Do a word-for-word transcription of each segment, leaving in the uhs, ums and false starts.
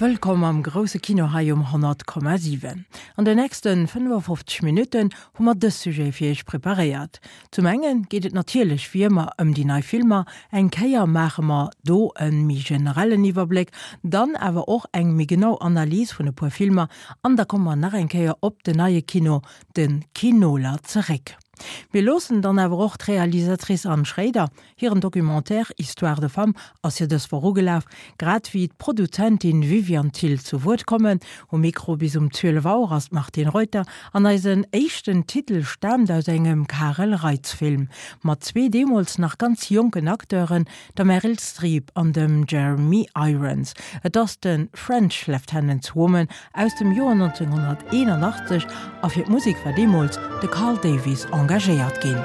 Wëllkomm am grousse Kino hei um honnert Komma siwen. An de nächste fënnefafofzeg Minutten hu mer dës Sujet fir iech preparéiert. Zum enge geet et natierlech wéi ëmmer ëm déi nei Filmer, eng Kéier maache mer do e méi generellen Iwwerbléck, dann awer och eng méi genau Analys vun e puer Filmer an da komme mer nach eng Kéier op den neie Kino, de Kinoler, zeréck. Mir loossen dann awer och d'Realisatrice Anne Schréider, hiren Documentaire Histoires de femmes ass jo dës Woch ugelaf, grad wéi d'Produzentin Viviane Thill zu Wuert kommen. Um Mikro bis um zwielef Auer ass d'Martine Reuter an eisen éischten Titel staamt aus engem Karel Reitz Film mat zwee deemools nach ganz jonken Acteuren, der Meryl Streep an dem Jeremy Irons. Et ass de French Lieutenant's Woman aus dem Joer nonzénghonnerteenunachtzeg a fir d'Musek war deemools de Carl Davis engagéiert ginn.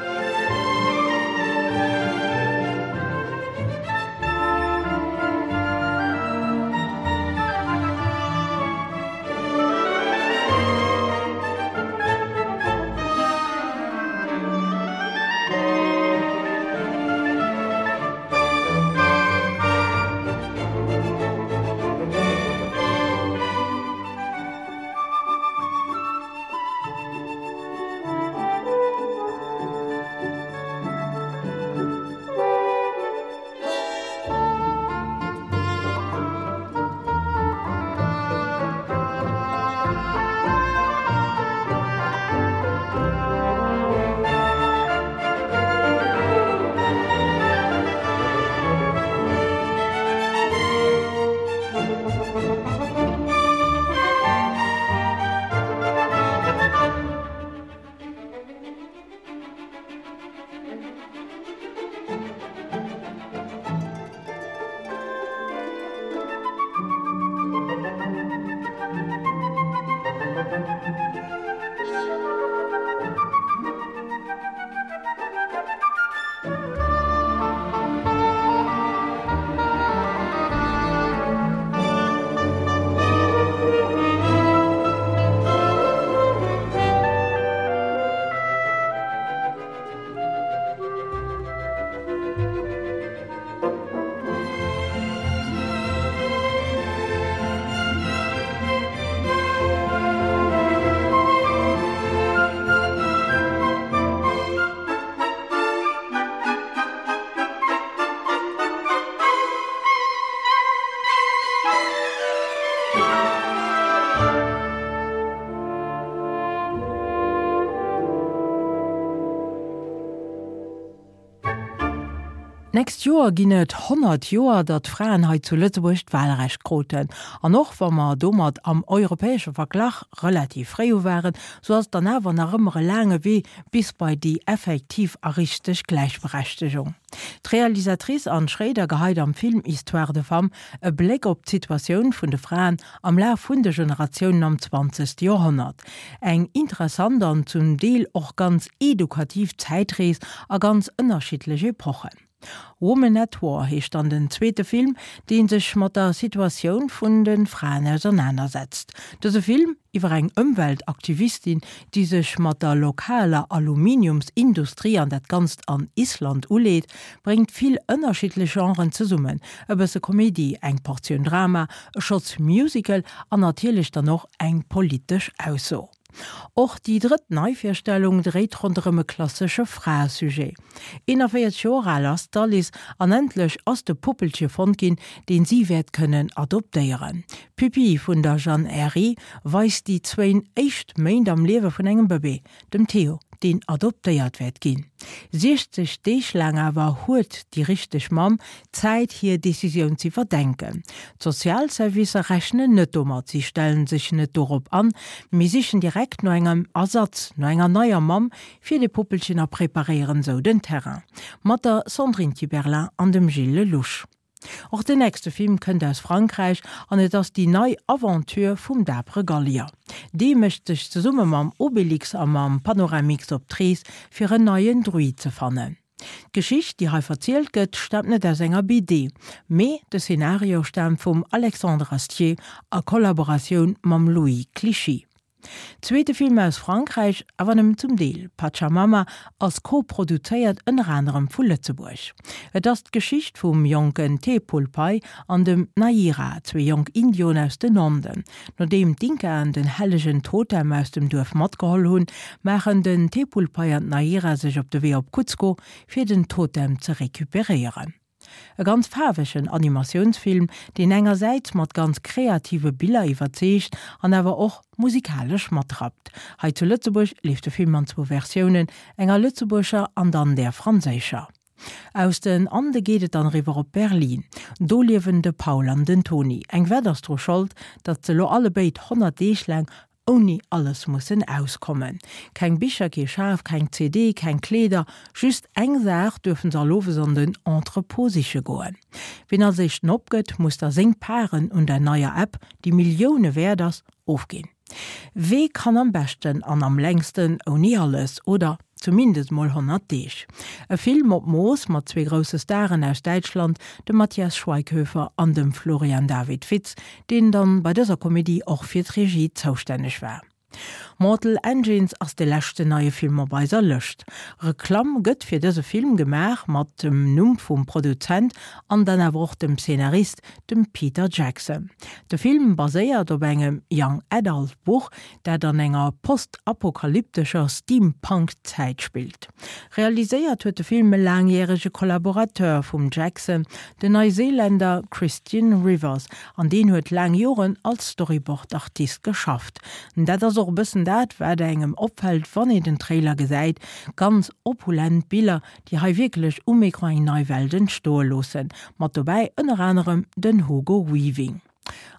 D'nächst Joer ginn et honnert Joer, datt d'Fraen hei zu Lëtzebuerg d'Wahlrecht kruten. An och wa mer domat am europäesche Verglach relativ fréi u waren, sou ass et dann awer nach ëmmer e laange Wee bis bei déi effektiv a richteg Gläichberechtegung. D'Realisatrice Anne Schréider geheit am Film Histoires de femmes e Bléck op d'Situatioun vun de Fraen am Laf vun de Generatiounen am zwanzegste Joerhonnert. Eng interessant an zum Deel och ganz edukativ Zäitrees a ganz ënnerschiddlech Epochen. Woman at War heescht dann den zweete Film, dee sech mat der Situatioun vun de Fraen ausernanersetzt. Dëse Film iwwer eng Ëmweltaktivistin, déi sech mat der lokaler Aluminiumsindustrie, an dat Ganzt an Island, uleet, bréngt vill ënnerschiddlech Genren zesummen, e bësse Komedie, eng Portioun Drama, e Schotz Musical an natierlech dann och eng politesch Ausso. Och déi drëtt Neivirstellung dréit ronderëm e klassesche Fraesujet. eenanvéierzeg Joer al ass d'Alice an endlech ass de Puppelche fonnt ginn, deen si wäert kënnen adoptéieren. Pupille vun der Jeanne Herry weist déi zwéin éischt Méint am Liewe vun engem Bëbee, dem Theo, deen adoptéiert wäert ginn. Siechzeg Deeg laang awer huet déi richteg Mamm Zäit hir Decisioun z'iwwerdenken. D'Sozialservicer rechnen net domat, si stellen sech net dorop an, mee sichen direkt no engem Ersatz, no enger neier Mamm fir de Puppelchen a preparéieren esou den Terrain. Mat der Sandrine Kiberlain an dem Gilles Lellouche. Och den nächste Film kënnt aus Frankräich an et ass déi nei Aventure vum dapere Gallier. Dee mécht sech zesumme mam Obelix a mam Panoramix op d'Rees, fir en neien Druid ze fannen. D'Geschicht, déi hei verzielt gëtt, staamt net aus enger B D, mee de Szenario staamt vum Alexandre Astier a Kollaboratioun mam Louis Clichy. Zweete Film aus Frankräich, awer nëmmen zum Deel, Pachamama ass koproduzéiert ënner anerem vu Lëtzebuerg. Et ass d'Geschicht vum jonken Tepulpai an dem Naira, zwee jonk Indioen aus den Anden. Nodeem d'Inkaen den hellegen Totem aus dem Duerf matgeholl hunn, maachen den Tepulpai an d'Naira sech op de Wee op Cuzco, fir den Totem ze recuperéieren. E ganz faarwegen Animatiounsfilm, deen engersäits mat ganz kreative Biller iwwerzeegt an awer och musikalesch matrappt. Hei zu Lëtzebuerg leeft de Film an zwou Versiounen, enger lëtzebuergescher an dann där franséischer. Aus den Ande geet et dann eriwwer op Berlin. Do liewen de Paul an den Toni. Eng Wett ass dru Schold, datt se elo allebéid honnert Deeg laang ouni alles mussen auskommen. Keng Bicher, kee Schaf, keng C D, keng Kleeder, just eng Saach duerfen se all owes an den Entrepôt siche goen. Wien als éischten opgëtt, muss da seng Paren un der neier App, déi Millioune wäert ass, ofginn. Wee kann am beschten an am längsten ouni alles, oder zumindest mol honnert Deeg? E Film op Mooss mat zwee grousse Staren aus Däitschland, dem Matthias Schweighöfer an dem Florian David Fitz, deen dann bei dëser Komedie och fir d'Regie zoustänneg war. Mortal Engines ass de leschten neie Film op eiser Lëscht. Reklamm gëtt fir dëse Film gemaach mat dem Numm vum Produzent an dann awer och dem Szenarist, dem Peter Jackson. De Film baséiert op engem Young Adult Buch, dat an enger postapokalyptescher Steampunk-Zäit spillt. Realiséiert huet de Film e laangjärege Kollaborateur vum Jackson, den Neuseeländer Christian Rivers, an deen huet laang Joren als Storyboard-Artist geschafft. Dat ass och e bëssen dat, wat engem opfält, wann een den Trailer gesäit, ganz opulent Biller, déi hei wierklech um Ecran eng nei Welt entstoe loossen. Mat dobäi ënner anerem den Hugo Weaving.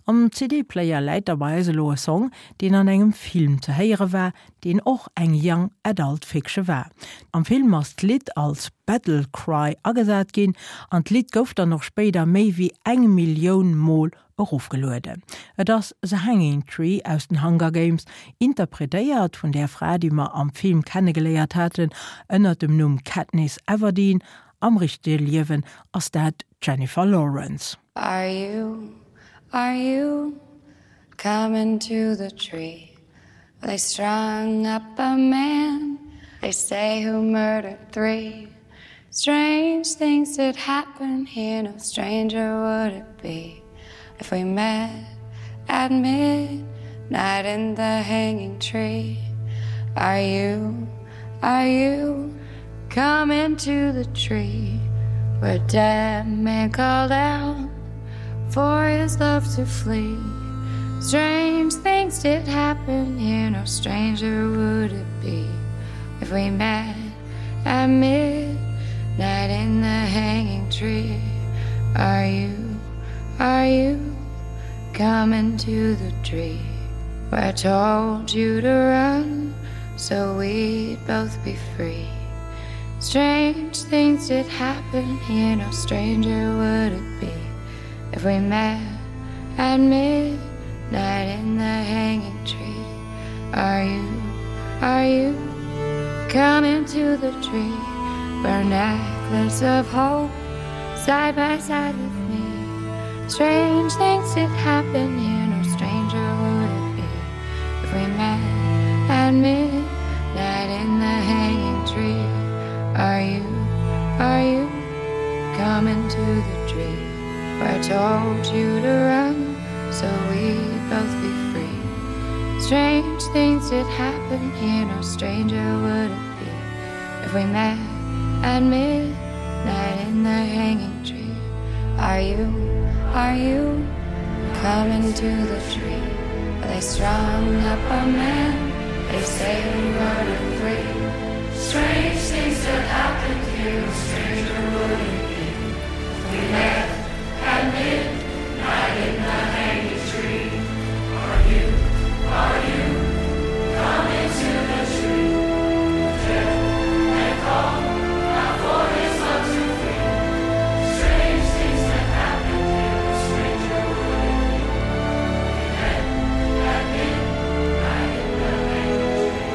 Am C D-Player läit da bei eis elo e Song, deen an engem Film ze héiere war, deen och eng Young Adult Fiction war. Am Film ass d'Lidd als Battle Cry agesat ginn an d'Lidd gouf dann och spéider méi wéi eng Millioun Mol erofgelueden. Et ass The Hanging Tree aus den Hunger Games, interpretéiert vun där Fra, déi mer am Film kennegeléiert haten, ënner dem Numm Katniss Everdeen. Am richtege Liewen ass dat d'Jennifer Lawrence. Are you, are you coming to the tree? They strung up a man, they say, who murdered three. Strange things did happen here, no stranger would it be if we met at midnight in the hanging tree. Are you, are you coming to the tree where dead man called out for his love to flee? Strange things did happen here, no stranger would it be if we met at midnight in the hanging tree. Are you, are you coming to the tree where I told you to run so we'd both be free? Strange things did happen here, no stranger would it be if we met at midnight in the hanging tree. Are you, are you coming to the tree where necklace of hope side by side with me? Strange things did happen here, no stranger would it be if we met at midnight in the hanging tree. Are you, are you coming to the tree where I told you to run so we'd both be free? Strange things did happen here, no stranger would it be if we met at midnight in the hanging tree. Are you, are you coming to the tree where they strung up a man, they say who murdered three? Strange things that happened here, no stranger would it be if we met at midnight in the hanging tree. Are you, are you coming to the tree? Death and call out for his love to free. Strange things that happened here, no stranger would it be if we met at midnight in the hanging tree.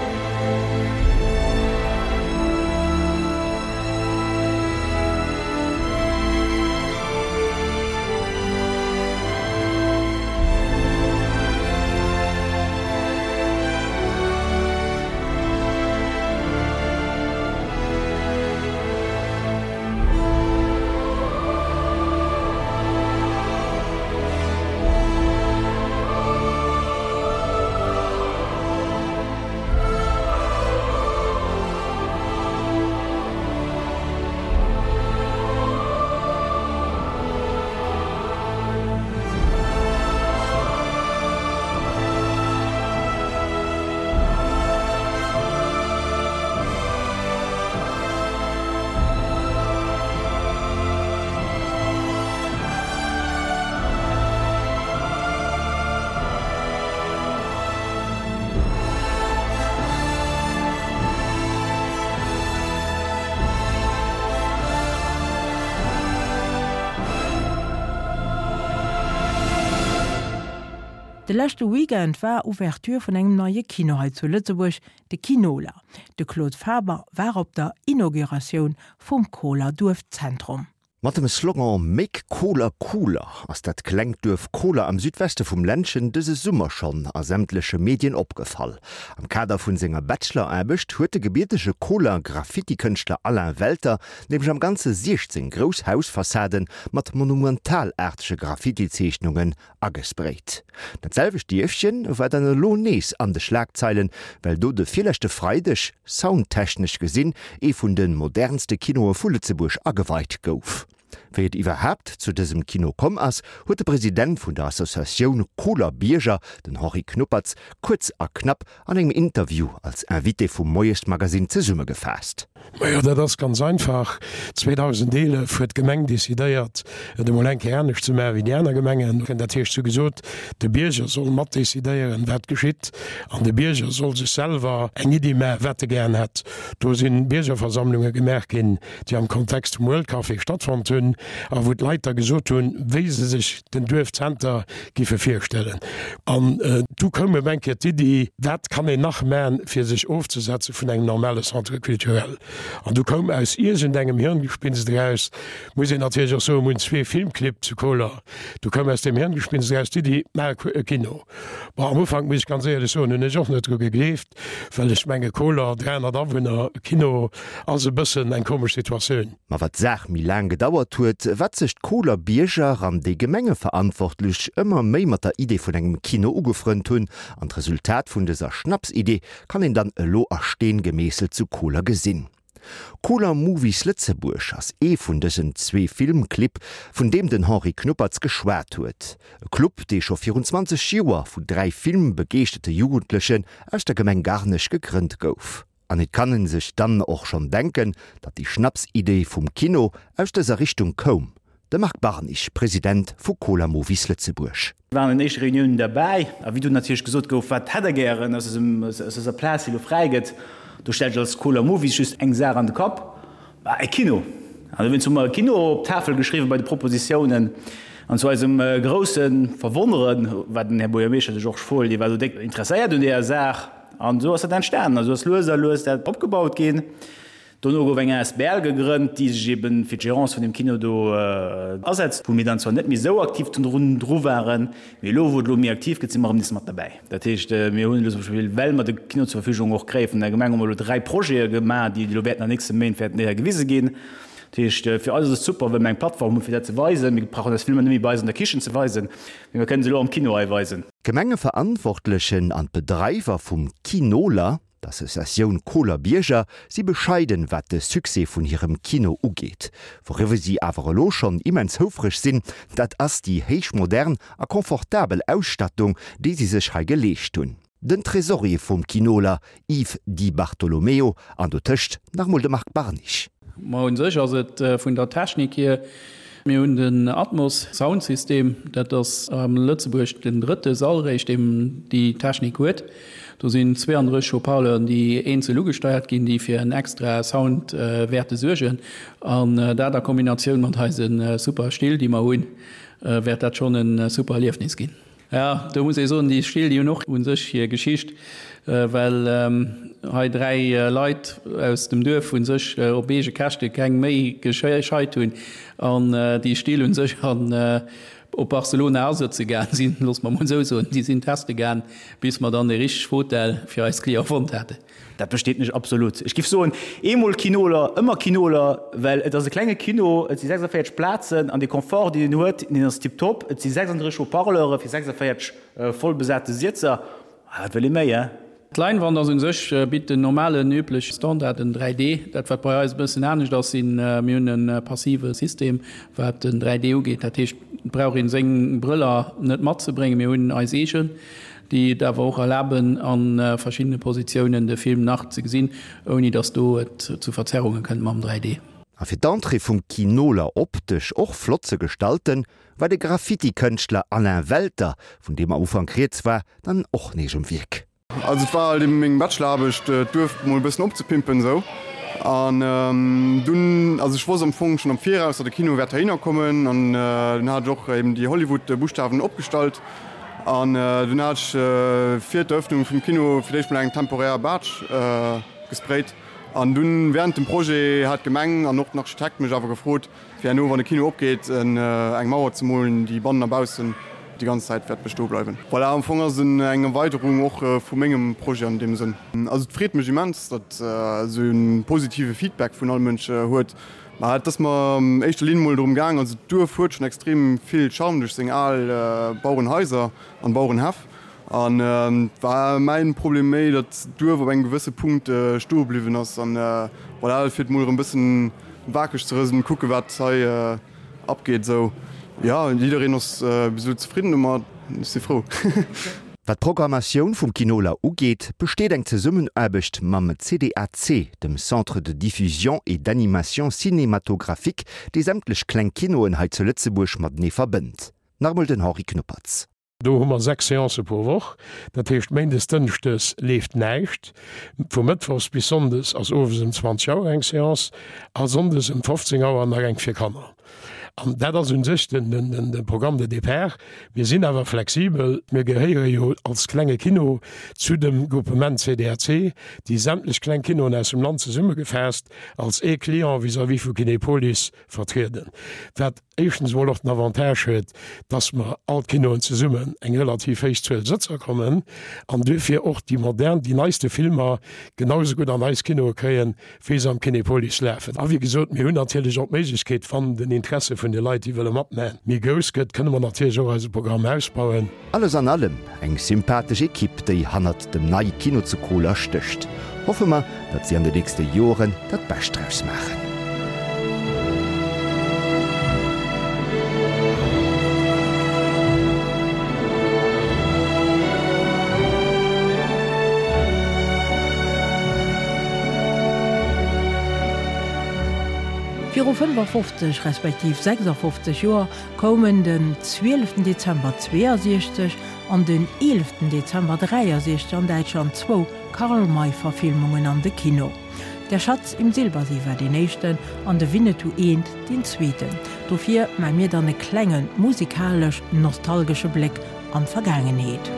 De leschte Weekend war Ouverture vun engem neie Kino hei zu Lëtzebuerg, de Kinoler. De Claude Faber war op der Inauguratioun vum Koler Duerfzentrum. Mat dem Slogan Make Koler cooler ass dat klengt Duerf Koler am Südweste vum Ländchen dëse Summer schonn a sämtleche Medien opgefall. Am Kader vun senger Bacheloraarbecht huet de gebiertege Koler Graffitikënschtler Alain Welter nämlech am Ganze siechzéng grouss Hausfassaden mat monumentalaartege Graffitizeechnungen agesprayt. Dat selwecht Dierfchen war dann elo nees an de Schlagzeilen, well do de virleschte Freideg, soundtechnesch gesinn, ee vun de modernste Kinoe vu Lëtzebuerg ageweit gouf. Wéi et iwwerhaapt zu dësem Kino komm ass, huet de President vun der Associatioun Koler Bierger, den Henri Knuppertz, kuerz a knapp an engem Interview als Invité vum Moiesmagazin zesummegefaasst. Majo, dat ass ganz einfach, zweedausendeelef huet d'Gemeng decidéiert, et emol eng Kéier anescht ze maachen wéi déi aner Gemengen. Dat heescht, se hu gesot, de Bierger soll matdecidéieren, wat geschitt, an de Bierger soll sech selwer eng Iddi maachen, wat e gären hätt. Do si Biergerversammlunge gemaach ginn, déi am Kontext vum World Café stattfonnt hunn a wou d'Leit da gesot hunn, wéi se sech den Duerfzenter giffe virstellen. An du koum ëm eng Kéier d'Iddi, wat kann een nach maachen, fir sech ofzesetze vun engem normale Centre culturel? An du koum aus iergendengem Hirngespinst eraus, muss een natierlech och soen, mir hunn zwee Filmclibb zu Koler, du koum aus deem Hirngespinst eraus d'Iddi, maach e Kino. Bon, am Ufank, muss ech ganz éierlech soen, hunn ech och net dru gegleeft, well ech menge Koler, dräihonnert Awunner, Kino ass e bëssen eng komesch Situatioun. Ma wat d'Saach méi laang gedauert huet, wat sech d'Koler Bierger an déi Gemengeverantwortlech ëmmer méi mat der Idee vun engem Kino ugefrënnt hunn. An d'Resultat vun dëser Schnapsidee kann een dann elo a Steen gemeesselt zu Koler gesinn. Koler Movies Lëtzebuerg ass ee vun dësen zwee Filmclibb, vun deem den Henri Knuppertz geschwat huet. E Club, dee scho virun zwanzeg Joer vun dräi filmbegeeschterte Jugendlechen aus der Gemeng Garnech gegrënnt gouf. An et kann en sech dann och schonn denken, datt déi Schnapsidee vum Kino aus dëser Richtung koum. De Marc Barnich, President vu Koler Movies Lëtzebuerg. Mir waren an den éischte Reuniounen derbäi, a wéi dunn natierlech gesot gouf, wat hätt Der gären aus dëser Plaz, déi elo fräi gëtt, do stellt sech als Koler Movies just eng Saach an de Kapp, E Kino. An dowéinst hu mer e Kino op d'Tafel geschriwwen bei de Propositiounen. An zu eisem grousse Verwonneren, war den Här Buergermeeschter de Georges Fohl, dee war do déck interesséiert un deeër Saach. An esou ass dat entstanen. A sou ass lues a lues dat opgebaut ginn. Dono gouf eng asbl gegrënnt, déi sech eben fir d'Gérance vun dem Kino do asetzt, wou mir dann zwar net méi esou aktiv drun dru waren, mee elo, wou et elo méi aktiv gëtt, si mer erëm nees mat derbäi. Dat heescht, mir hunn elo zum Beispill, well mer de Kino zur Verfügung och kréie vun der Gemeng, hu mer elo dräi Projete gemaach, déi elo wäerten an nächste Méint wäerten déi hei gewise ginn. Dat heescht, fir eis ass et super, well mer eng Plattform hunn, fir dat ze weisen. Mir brauchen eis Filmer net méi bei eis an der Kichen ze weisen, mee mer kënnen se elo am Kino hei weisen. D'Gemengeverantwortlechen an d'Bedreiwer vum Kinoler, D'Associatioun Koler Bierger si bescheiden, wat de Succès vun hirem Kino ugeet. Wouriwwer si awer elo schonn immens houfreg sinn, dat ass déi héichmodern a confortabel Ausstattung, déi si sech hei geleescht hunn. Den Tresorier vum Kinoler, Yves Di Bartolomeo, an dotëscht nach emol de Marc Barnich. Ma un sech ass et vun der Technik hier, mir hunn den Atmos Soundsystem, dat ass a Lëtzebuerg den drëtte Sall réischt, deem déi Technik huet. Do sinn zweeandrësseg Haut-parleuren, déi eenzel ugesteiert ginn, déi fir en extra Sound wäerte suergen. An dat a Kombinatioun mat eise super Still, déi mer hunn, wäert dat schonn e super Erliefnis ginn. Jo, do muss ee soen, déi Still, déi hunn och u sech hir Geschicht, well hei dräi Leit aus dem Duerf u sech op eege Käschte keng Méi gescheit hunn an déi Still u sech an op Barcelona asëtze gaang sinn, loosse mer mol esou soen, déi sinn teste gaang, bis mer dann dee richteg Hotel fir eis Cliente fonnt haten. Dat besteet nech absolut. Ech giff soen, eemol Kinoler, ëmmer Kinoler, well et ass e klenge Kino, et si sechsundvéierzeg Plazen an dee Confort, deen en huet, deen ass tiptop. Et si sechsunddrësseg Haut-parleure fir sechsundvéierzeg voll besate Sietzer. Wat wëll ee méi, he? D'Leinwand ass un sech, bitt den normalen, übleche Standard, den dräi D. Dat wat bei eis e bëssen anescht ass, sinn, mir hunn e passive System, wat den dräi D ugeet. Dat heescht, et brauch een seng Brëller net matzebréngen, mir hunn eis eegen. déi et awer och erlaben, a verschiddene Positiounen de Film nach ze gesinn, ouni datt do et zu Verzerrunge kënnt mam dräi D. A fir d'Entrée vum Kinoler optesch och flott ze gestalten, war de Graffiti-Kënschtler Alain Welter, vun deem am Ufank rieds war, dann och nees um Wierk. Also et war halt eben meng Bachelor-Aarbecht, d'Duerf mol e bëssen opzepimpen esou. An dunn, also ech wosst am Fong schonn am Viraus, datt e Kino wäert heihinner kommen an dunn hat ech och eben déi Hollywood-Buschtawen opgestallt. An dunn hat ech fir d'Eröffnung vum Kino fir d'éischt mol eng temporär Baatsch gesprayt. An dunn während dem Projet hat d'Gemeng an och den Architekt mech awer gefrot, fir herno, wann de Kino opgeet, eng Mauer ze molen, déi bannen a baussen déi ganz Zäit wäert bestoe bleiwen. Voilà, am Fong ass et eng Erweiderung och vu mengem Projet an deem Sënn. Also et freet mech immens, datt esou e positive Feedback vun all Mënsch huet. Mä et ass mer an éischter Linn mol drëm gaang, also d'Duerf huet schonn extrem vill Charme duerch seng al Bauerenhaiser an Bauerenhäff. An et war mäin Problem méi, datt d'Duerf op engem gewësse Punkt stoe bliwwen ass. An voilà, fir et mol erëm bëssen wakereg ze rëselen, kucke wat hei abgeet esou. Jo, jiddereen ass bis elo zefridden domat, ech si frou. Wat d'Programmatioun vum Kinoler ugeet, besteet eng Zesummenaarbecht mam C D A C, dem Centre de diffusion et d'animation cinématographique, dee sämtlech kleng Kinoen hei zu Lëtzebuerg matenee verbënnt. Nach emol den Henri Knuppertz. Do hu mer sechs Seancë pro Woch, dat heescht méindes, dënschdes leeft näischt, vu mëttwochs bis sonndes ass owes ëm zwanzeg Auer eng Seance a sonndes ëm fofzéng Auer nach eng fir Kanner. An dat ass u sech den, den, de Programme de départ. Mir sinn awer flexibel, mir gehéiere jo als klenge Kino zu dem Groupement C D A C, déi sämtlech kleng Kinoen aus dem Land zesummegefaasst als ee Client vis-à-vis vu Kinepolis vertrieden. Wat éischtens emol och den Avantage huet, dass mer all d'Kinoen zesummen eng relativ héich Zuel Sëtzer kommen an duerfir och déi modern, déi neiste Filmer genau esou gutt an eis Kinoe kréien, wéi se am Kinepolis lafen. A wéi gesot, mir hunn natierlech och d'Méiglechkeet, wann den Interesse vun de Leit, déi wëlle matmaachen, méi grouss gëtt, kënne mer natierlech och eise Programm ausbauen. Alles an allem eng sympathesch Ekipp, déi hannert dem neie Kino zu Koler stécht. Hoffe mer, datt si an de nächste Joren dat Bescht draus maachen. Viru fënnefafofzeg respektiv sechsafofzeg Joer koumen den zwieleften Dezember zweeësiechzeg an den eeleften Dezember dräiasiechzeg an Däitschland zwou Karl-May-Verfilmungen an de Kino. Der Schatz im Silbersee war deen éischten an de Winnetou eent deen zweeten. Dofir maa mir dann e klengen musikalesch-nostalgesche Bléck an d'Vergaangenheet.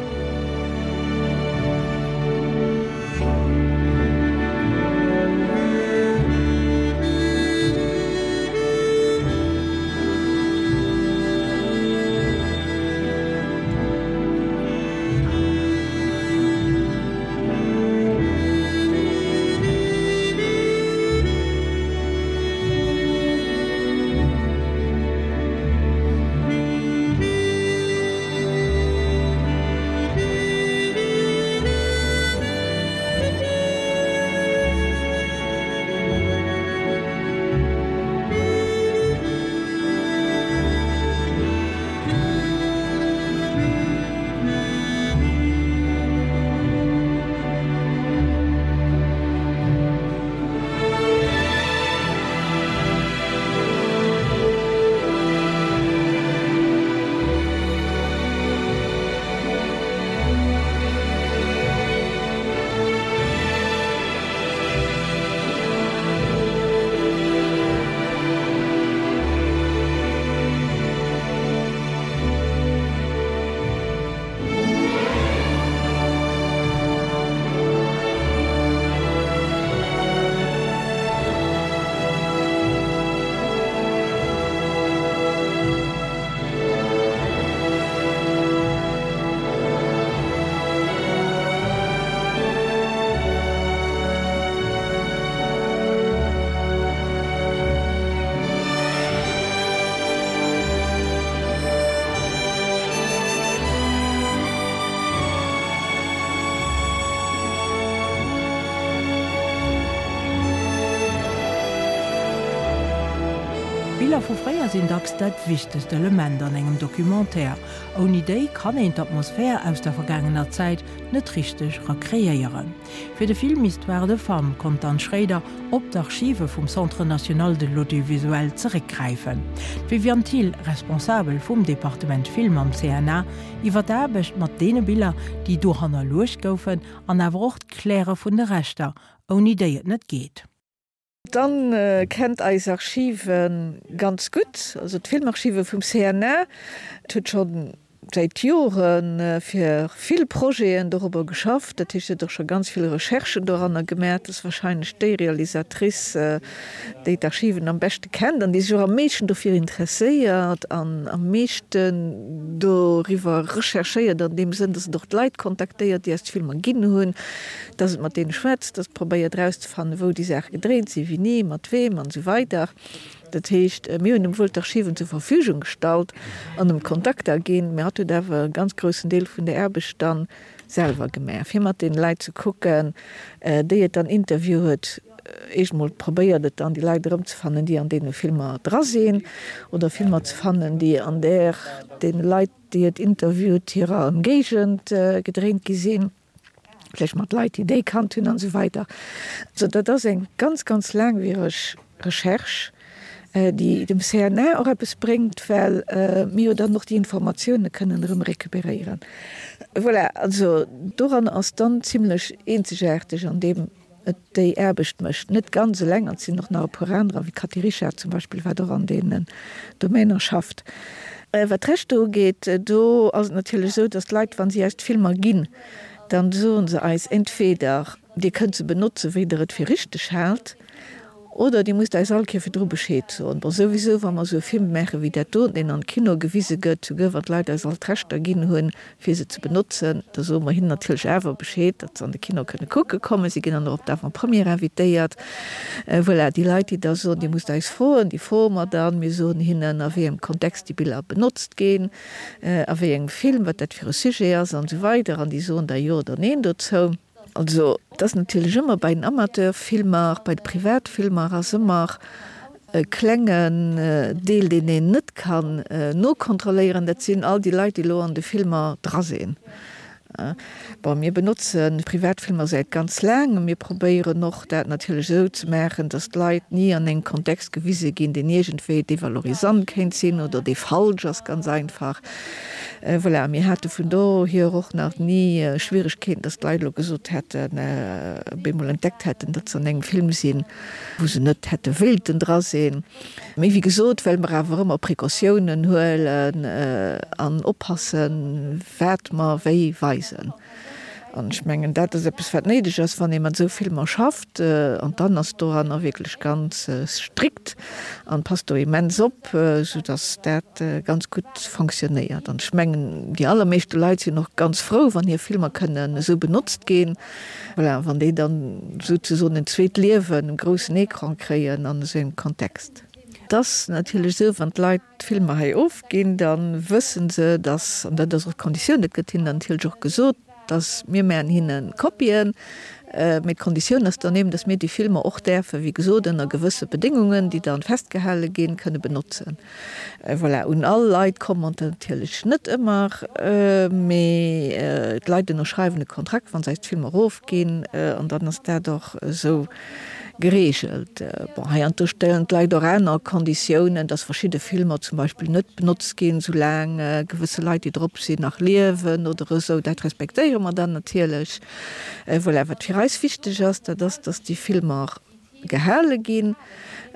Biller vu fréier sinn dacks dat wichtegst Element an engem Documentaire. Ouni déi kann een d'Atmosphär aus der vergaangener Zäit net richteg rekreéieren. Fir de Film Histoires de femmes konnt d'Anne Schréider op d'Archive vum Centre national de l'audiovisuel zeréckgräifen. D'Viviane Thill, Responsabel vum Departement Film am C N A, iwwer d'Aarbecht mat deene Biller, déi do hannerluecht goufen, an awer och d'Kläre vun de Rechter, ouni déi et net geet. D'Anne kennt eis Archive ganz gutt, also d'Filmarchive vum C N A. Et huet schonn säit Jore fir vill Projeten dorobber geschafft, dat heescht, si huet och scho ganz vill Recherchen doranner gemaach. Dat ass warscheinlech déi Realisatrice, déi d'Archiven am beschte kennt an déi sech och am meeschten dofir interesséiert an am meeschten doriwwer recherchéiert an deem Sënn, dass et och d'Leit kontaktéiert, déi eis d'Filmer ginn hunn, dass et mat deene schwätzt, dass et probéiert erauszefannen, wou déi Saache gedréint sinn, wéini, mat weem an esou weider. Dat heescht, mir hunn em wuel d'Archiven zur Verfügung gestallt an em d'Kontakter ginn, mä hatt huet awer e ganz groussen Deel vun der Aarbecht dann selwer gemaach, fir mat deene Leit ze kucken, déi et dann interview huet. Éischt emol probéiert et dann, déi Leit erëmzefannen, déi an deene Filmer dra sinn, oder Filmer ze fannen, déi an där deene Leit, déi et interviewt, hirer Ëmgéigend gedréint gi sinn. Vläicht mat Leit, déi déi kannt hunn an esou weider. Also dat ass eng ganz, ganz laangwiereg Recherche, déi dem C N A och eppes bréngt, well mir jo dann och déi Informatioune kënnen erëm recuperéieren. Voilà, also doran ass dann zimlech eenzegaarteg an deem et déi Aarbecht mécht. Net ganz eleng, an et sinn och nach e puer anerer, wéi d'Cathy Richard zum Beispill, wat och an deenen Domainer schafft. Wat d'Rechter ugeet, do ass et natierlech esou, datt d'Leit, wa si eis d'Filmer ginn, dann soe se eis entweder, Dir kënnt se benotzen, wéi Der et fir richteg haalt, oder Dir musst eis all Kéier virdru Bescheed soen. Bon, souwisou, wa mer esou e Film maache wéi dat do, deen an de Kino gewise gëtt, souguer wann d'Leit eis all d'Rechter ginn hunn, fir se ze benotzen, da soe mer hinnen natierlech awer Bescheed, datt se an de Kino kënne kucke kommen. Si ginn dann och op d'Avant-première invitéiert. Voilà, déi Leit, déi da soen, Dir musst eis froen, déi froe mer dann. Mir soen hinnen, a wéi engem Kontext déi Biller benotzt ginn, a wéi engem Film, wat dat fir e Sujet ass an esou weider. An déi soen da Jo oder Neen dozou. Also, et ass natierlech ëmmer bei den Amateurfilmer, bei de Privatfilmer ass ëmmer e klengen Deel, deen een net kann nokontrolléieren, dat sinn all déi Leit, déi elo an de Filmer dra sinn. Bon, mir benotze Privatfilmer säit ganz laang a mir probéieren och, dat natierlech esou ze maachen, datt d'Leit ni an engem Kontext gewise ginn, deen iergendwéi devalorisant kéint sinn oder dee falsch ass, ganz einfach. Voilà, mir hate vun dohier och nach ni Schwieregkeeten, datt d'Leit elo gesot hätten, op eemol entdeckt hätten, datt se an engem Film sinn, wou se net hätte wéilten dra sinn. Mee wéi gesot, well mer awer ëmmer Precautiounen huelen an oppassen, wat mer wéi weisen. An ech mengen, dat ass eppes, wat néideg ass, wann ee mat esou Filmer schafft. An d'Anne ass doranner wierklech ganz strikt an passt do immens op, soudass dat ganz gutt fonctionnéiert. An ech mengen, déi allermeeschte Leit sinn och ganz frou, wann hir Filmer kënnen esou benotzt ginn. Voilà, wann déi dann souzesoen en zweet Liewen um groussen Ecran kréien an esou engem Kontext. Et ass natierlech esou, wann d'Leit d'Filmer hei ofginn, da wësse se, dass, an dat ass och d'Konditioun, dat gëtt hinnen dann natierlech och gesot, dass mir maachen hinne Kopien, mee d'Konditioun ass dann eben, dass mir déi Filmer och däerfen, wéi gesot, ënner gewësse Bedéngungen, déi dann festgehale ginn, kënne benotzen. Voilà, un all Leit komme mer natierlech net ëmmer, mee d'Leit ënnerschreiwen e Kontrakt, wa se eis d'Filmer erofginn, an dann ass dat och esou gereegelt. Bon, heiansdo stellen d'Leit och aner Konditiounen, dass verschidde Filmer zum Beispill net benotzt ginn, soulaang gewësse Leit, déi drop sinn, nach liewen oder esou. Dat respektéiere mer dann natierlech. Voilà, wat fir eis wichteg ass, dat ass, dass déi Filmer gehale ginn,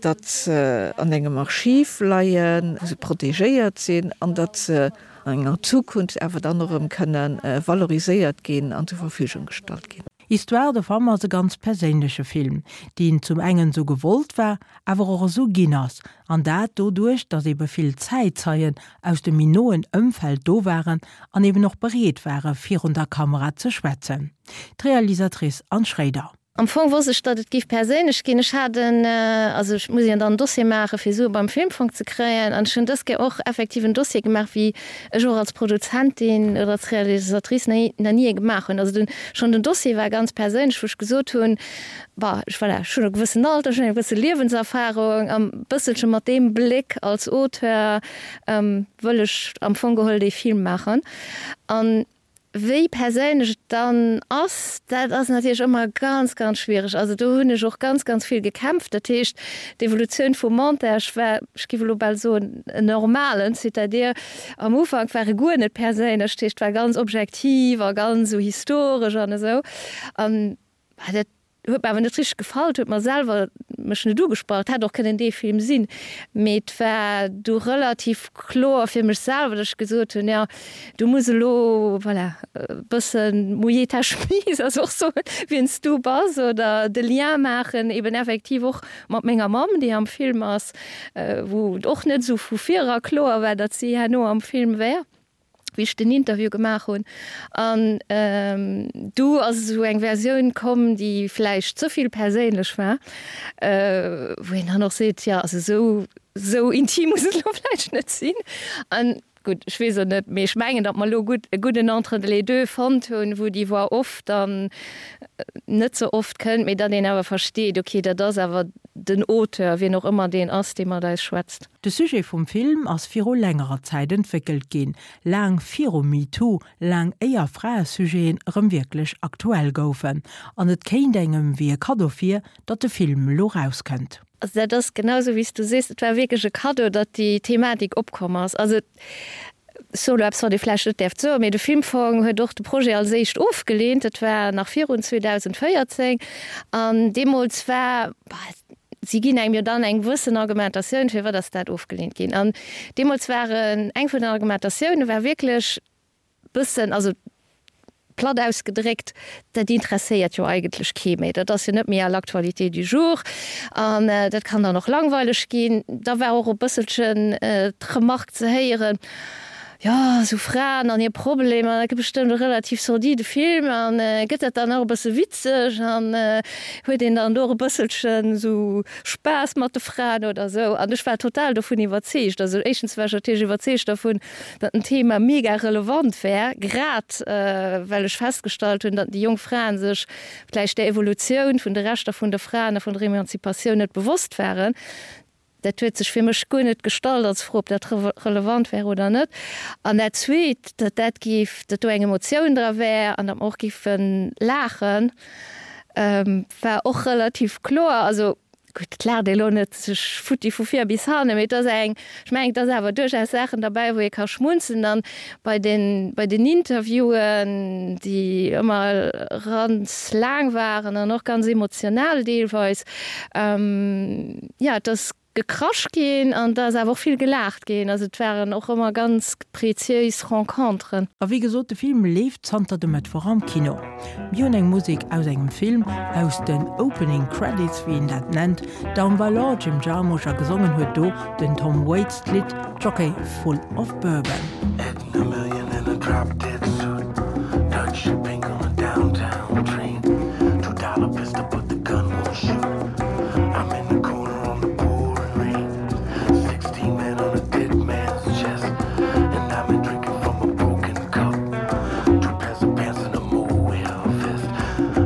datt se an engem Archiv leien, wou se protegéiert sinn an datt se an enger Zukunft awer dann och erëm kënne valoriséiert ginn an zur Verfügung gestallt ginn. Histoire de femme ass e ganz perséinleche Film, deen zum engen esou gewollt war, awer och esou ginn ass, an dat doduerch, datt ebe vill Zäitzeien aus dem méi noen Ëmfeld do waren an eben och bereet ware virun der Kamera ze schwätzen. D'Realisatrice Anne Schréider. Am Fong wosst ech, datt et géif perséinlech ginn. Ech hat en, also ech muss jo dann en Dossier maachen, fir Sue beim Filmfong ze kréien. An ech hunn dës Kéier och effektiv en Dossier gemaach, wéi ech och als Produzentin oder als Realisatrice nach ni ee gemaach hunn. Also den, schonn den Dossier war ganz perséinlech, wou ech gesot hunn, Bah, ech, voilà, ech hunn e gewëssen Alter, ech hunn eng gewësse Liewenserfarung an e bësselche mat deem Bléck als Auteur wëll ech am Fong geholl dee Film maachen. An Wéi perséinlech et dann ass, dat ass natierlech ëmmer ganz, ganz schwiereg. Also do hunn ech och ganz, ganz vill gekämpft. Dat heescht, d'Evolutioun vum Montage war, ech géif elo bal soen, en normalen, c'est-à-dire am Ufank war e guer net perséinlech, dat heescht, war ganz objektiv a ganz esou historesch an esou. An dat Huet mer awer net richteg gefall, huet mer selwer mech net ugesprach. Et hätt och kënnen dee Film sinn, mee et war du relativ kloer fir mech selwer, datt ech gesot hunn, jo, du muss elo, voilà, e bëssen mouiller ta chemise, also och soen, wien s du bass oder de Lien maachen eben effektiv och mat menger Mamm, déi am Film ass, wou et och net esou vu vir era kloer war, datt si herno am Film wär. Wéi ech den Interview gemaach hunn. An du ass esou eng Versioun komm, déi vläicht ze vill perséinlech war, wou een dann och seet, jo, also esou, esou intim muss et elo vläicht net sinn. An gutt, ech weess et net, mee ech mengen, datt mer elo gutt, e gudden Entre-les-deux fonnt hunn, wou déi Voix off dann net ze oft kënnt, mee datt een awer versteet, okay, dat ass awer den Auteur, wien och ëmmer deen ass, dee mat eis schwätzt. De Sujet vum Film ass viru längerer Zäit entwéckelt ginn, laang viru MeToo, laang éier Fraesujeten erëm wierklech aktuell goufen. An et kéint engem wéi e Kaddo vir, datt de Film elo rauskënnt. Also dat ass genau esou, wéi s du sees, et war wierklech e Kaddo, datt déi Thematik opkomm ass. Also ech soe elo eppes, wat ee vläicht net däerft soen, mee de Filmfong huet och de Projet als éischt ofgeleent. Dat war nach virun zweedausendvéierzéng an deemools war, si ginn engem jo dann eng gewëssen Argumentatioun, firwat ass dat ofgeleent ginn. An deemools waren, eng vun den Argumentatioune war wierklech bëssen, also platt ausgedréckt, dat interesséiert jo eigentlech kee méi, dat ass jo net méi à l'actualité du jour an dat kann dann och langweileg ginn. Da war och e bësselchen d'Remark ze héieren, jo, esou Fraen an hir Problemer, dat gëtt bestëmmt e relativ sordide Film an gëtt dat dann och e bësse witzeg an huet een dann do och e bësselchen esou Spaass mat de Fraen oder esou. An ech war total dovun iwwerzeegt. Also éischtens war ech natierlech iwwerzeegt dervun, datt den Thema mega relevant wär, grad well ech festgestallt hunn, datt déi jonk Fraen sech vläicht der Evolutioun vun de Rechter vun de Fraen a vun der Emanzipatioun net bewosst waren. Dat huet sech fir mech guer net gestallt als Fro, ob dat relevant wär oder net. An dat Zweet, datt dat géif, datt do eng Emotioun dra wär an datt mer och géife laachen, war och relativ kloer. Also gutt, et laacht ee lo net sech futti vu vir bis hannen, mee et ass eng, ech mengen, et ass awer duerchaus Saachen derbäi, wou ee ka schmunzeln. An bei den, bei den Interviewen, déi ëmmer ganz laang waren an och ganz emotional deelweis, jo, et ass gekrasch ginn an et ass awer och vill gelaacht ginn. Also et waren och ëmmer ganz preziéis Renconteren. A wéi gesot, de Film leeft zanter dem Mëttwoch am Kino. Mir hunn eng Musek aus engem Film, aus den Opening Credits, wéi een dat nennt, Down by Law, Jim Jarmusch, a gesongen huet do den Tom Waits d'Lidd Jockey Full of Bourbon. Hitting a million in a drop dead suit Dutch shipping on a downtown train Two dollar pistol but the gun won't shoot I'm in the corner on the pouring rain Sixteen men on a dead man's chest And I've been drinking from a broken cup Two pairs of pants and a mohair vest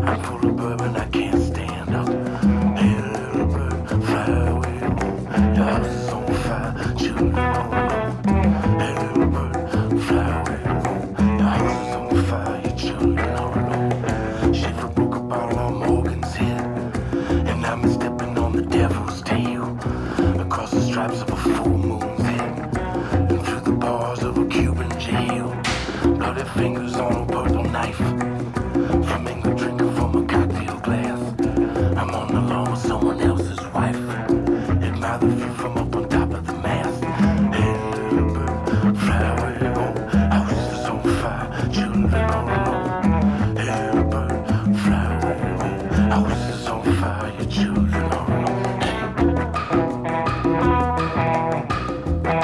I'm full of bourbon, I can't stand up Hey little bird, fly away home Your house is on fire, children all alone Hey little bird, fly away home Your house is on fire, your children all alone Schaefer broke a bottle on Morgan's head And I'm stepping on the devil's tail Across the stripes of a full moon's head And through the bars of a Cuban jail Bloody fingers on a purple knife Flamingo drinking from a cocktail glass I'm on the lawn with someone else's wife Admire the view from up on top of the mast Hey little bird, fly away home House is on fire, children all alone Hey little bird, fly away home House is on fire, your children all alone Hey.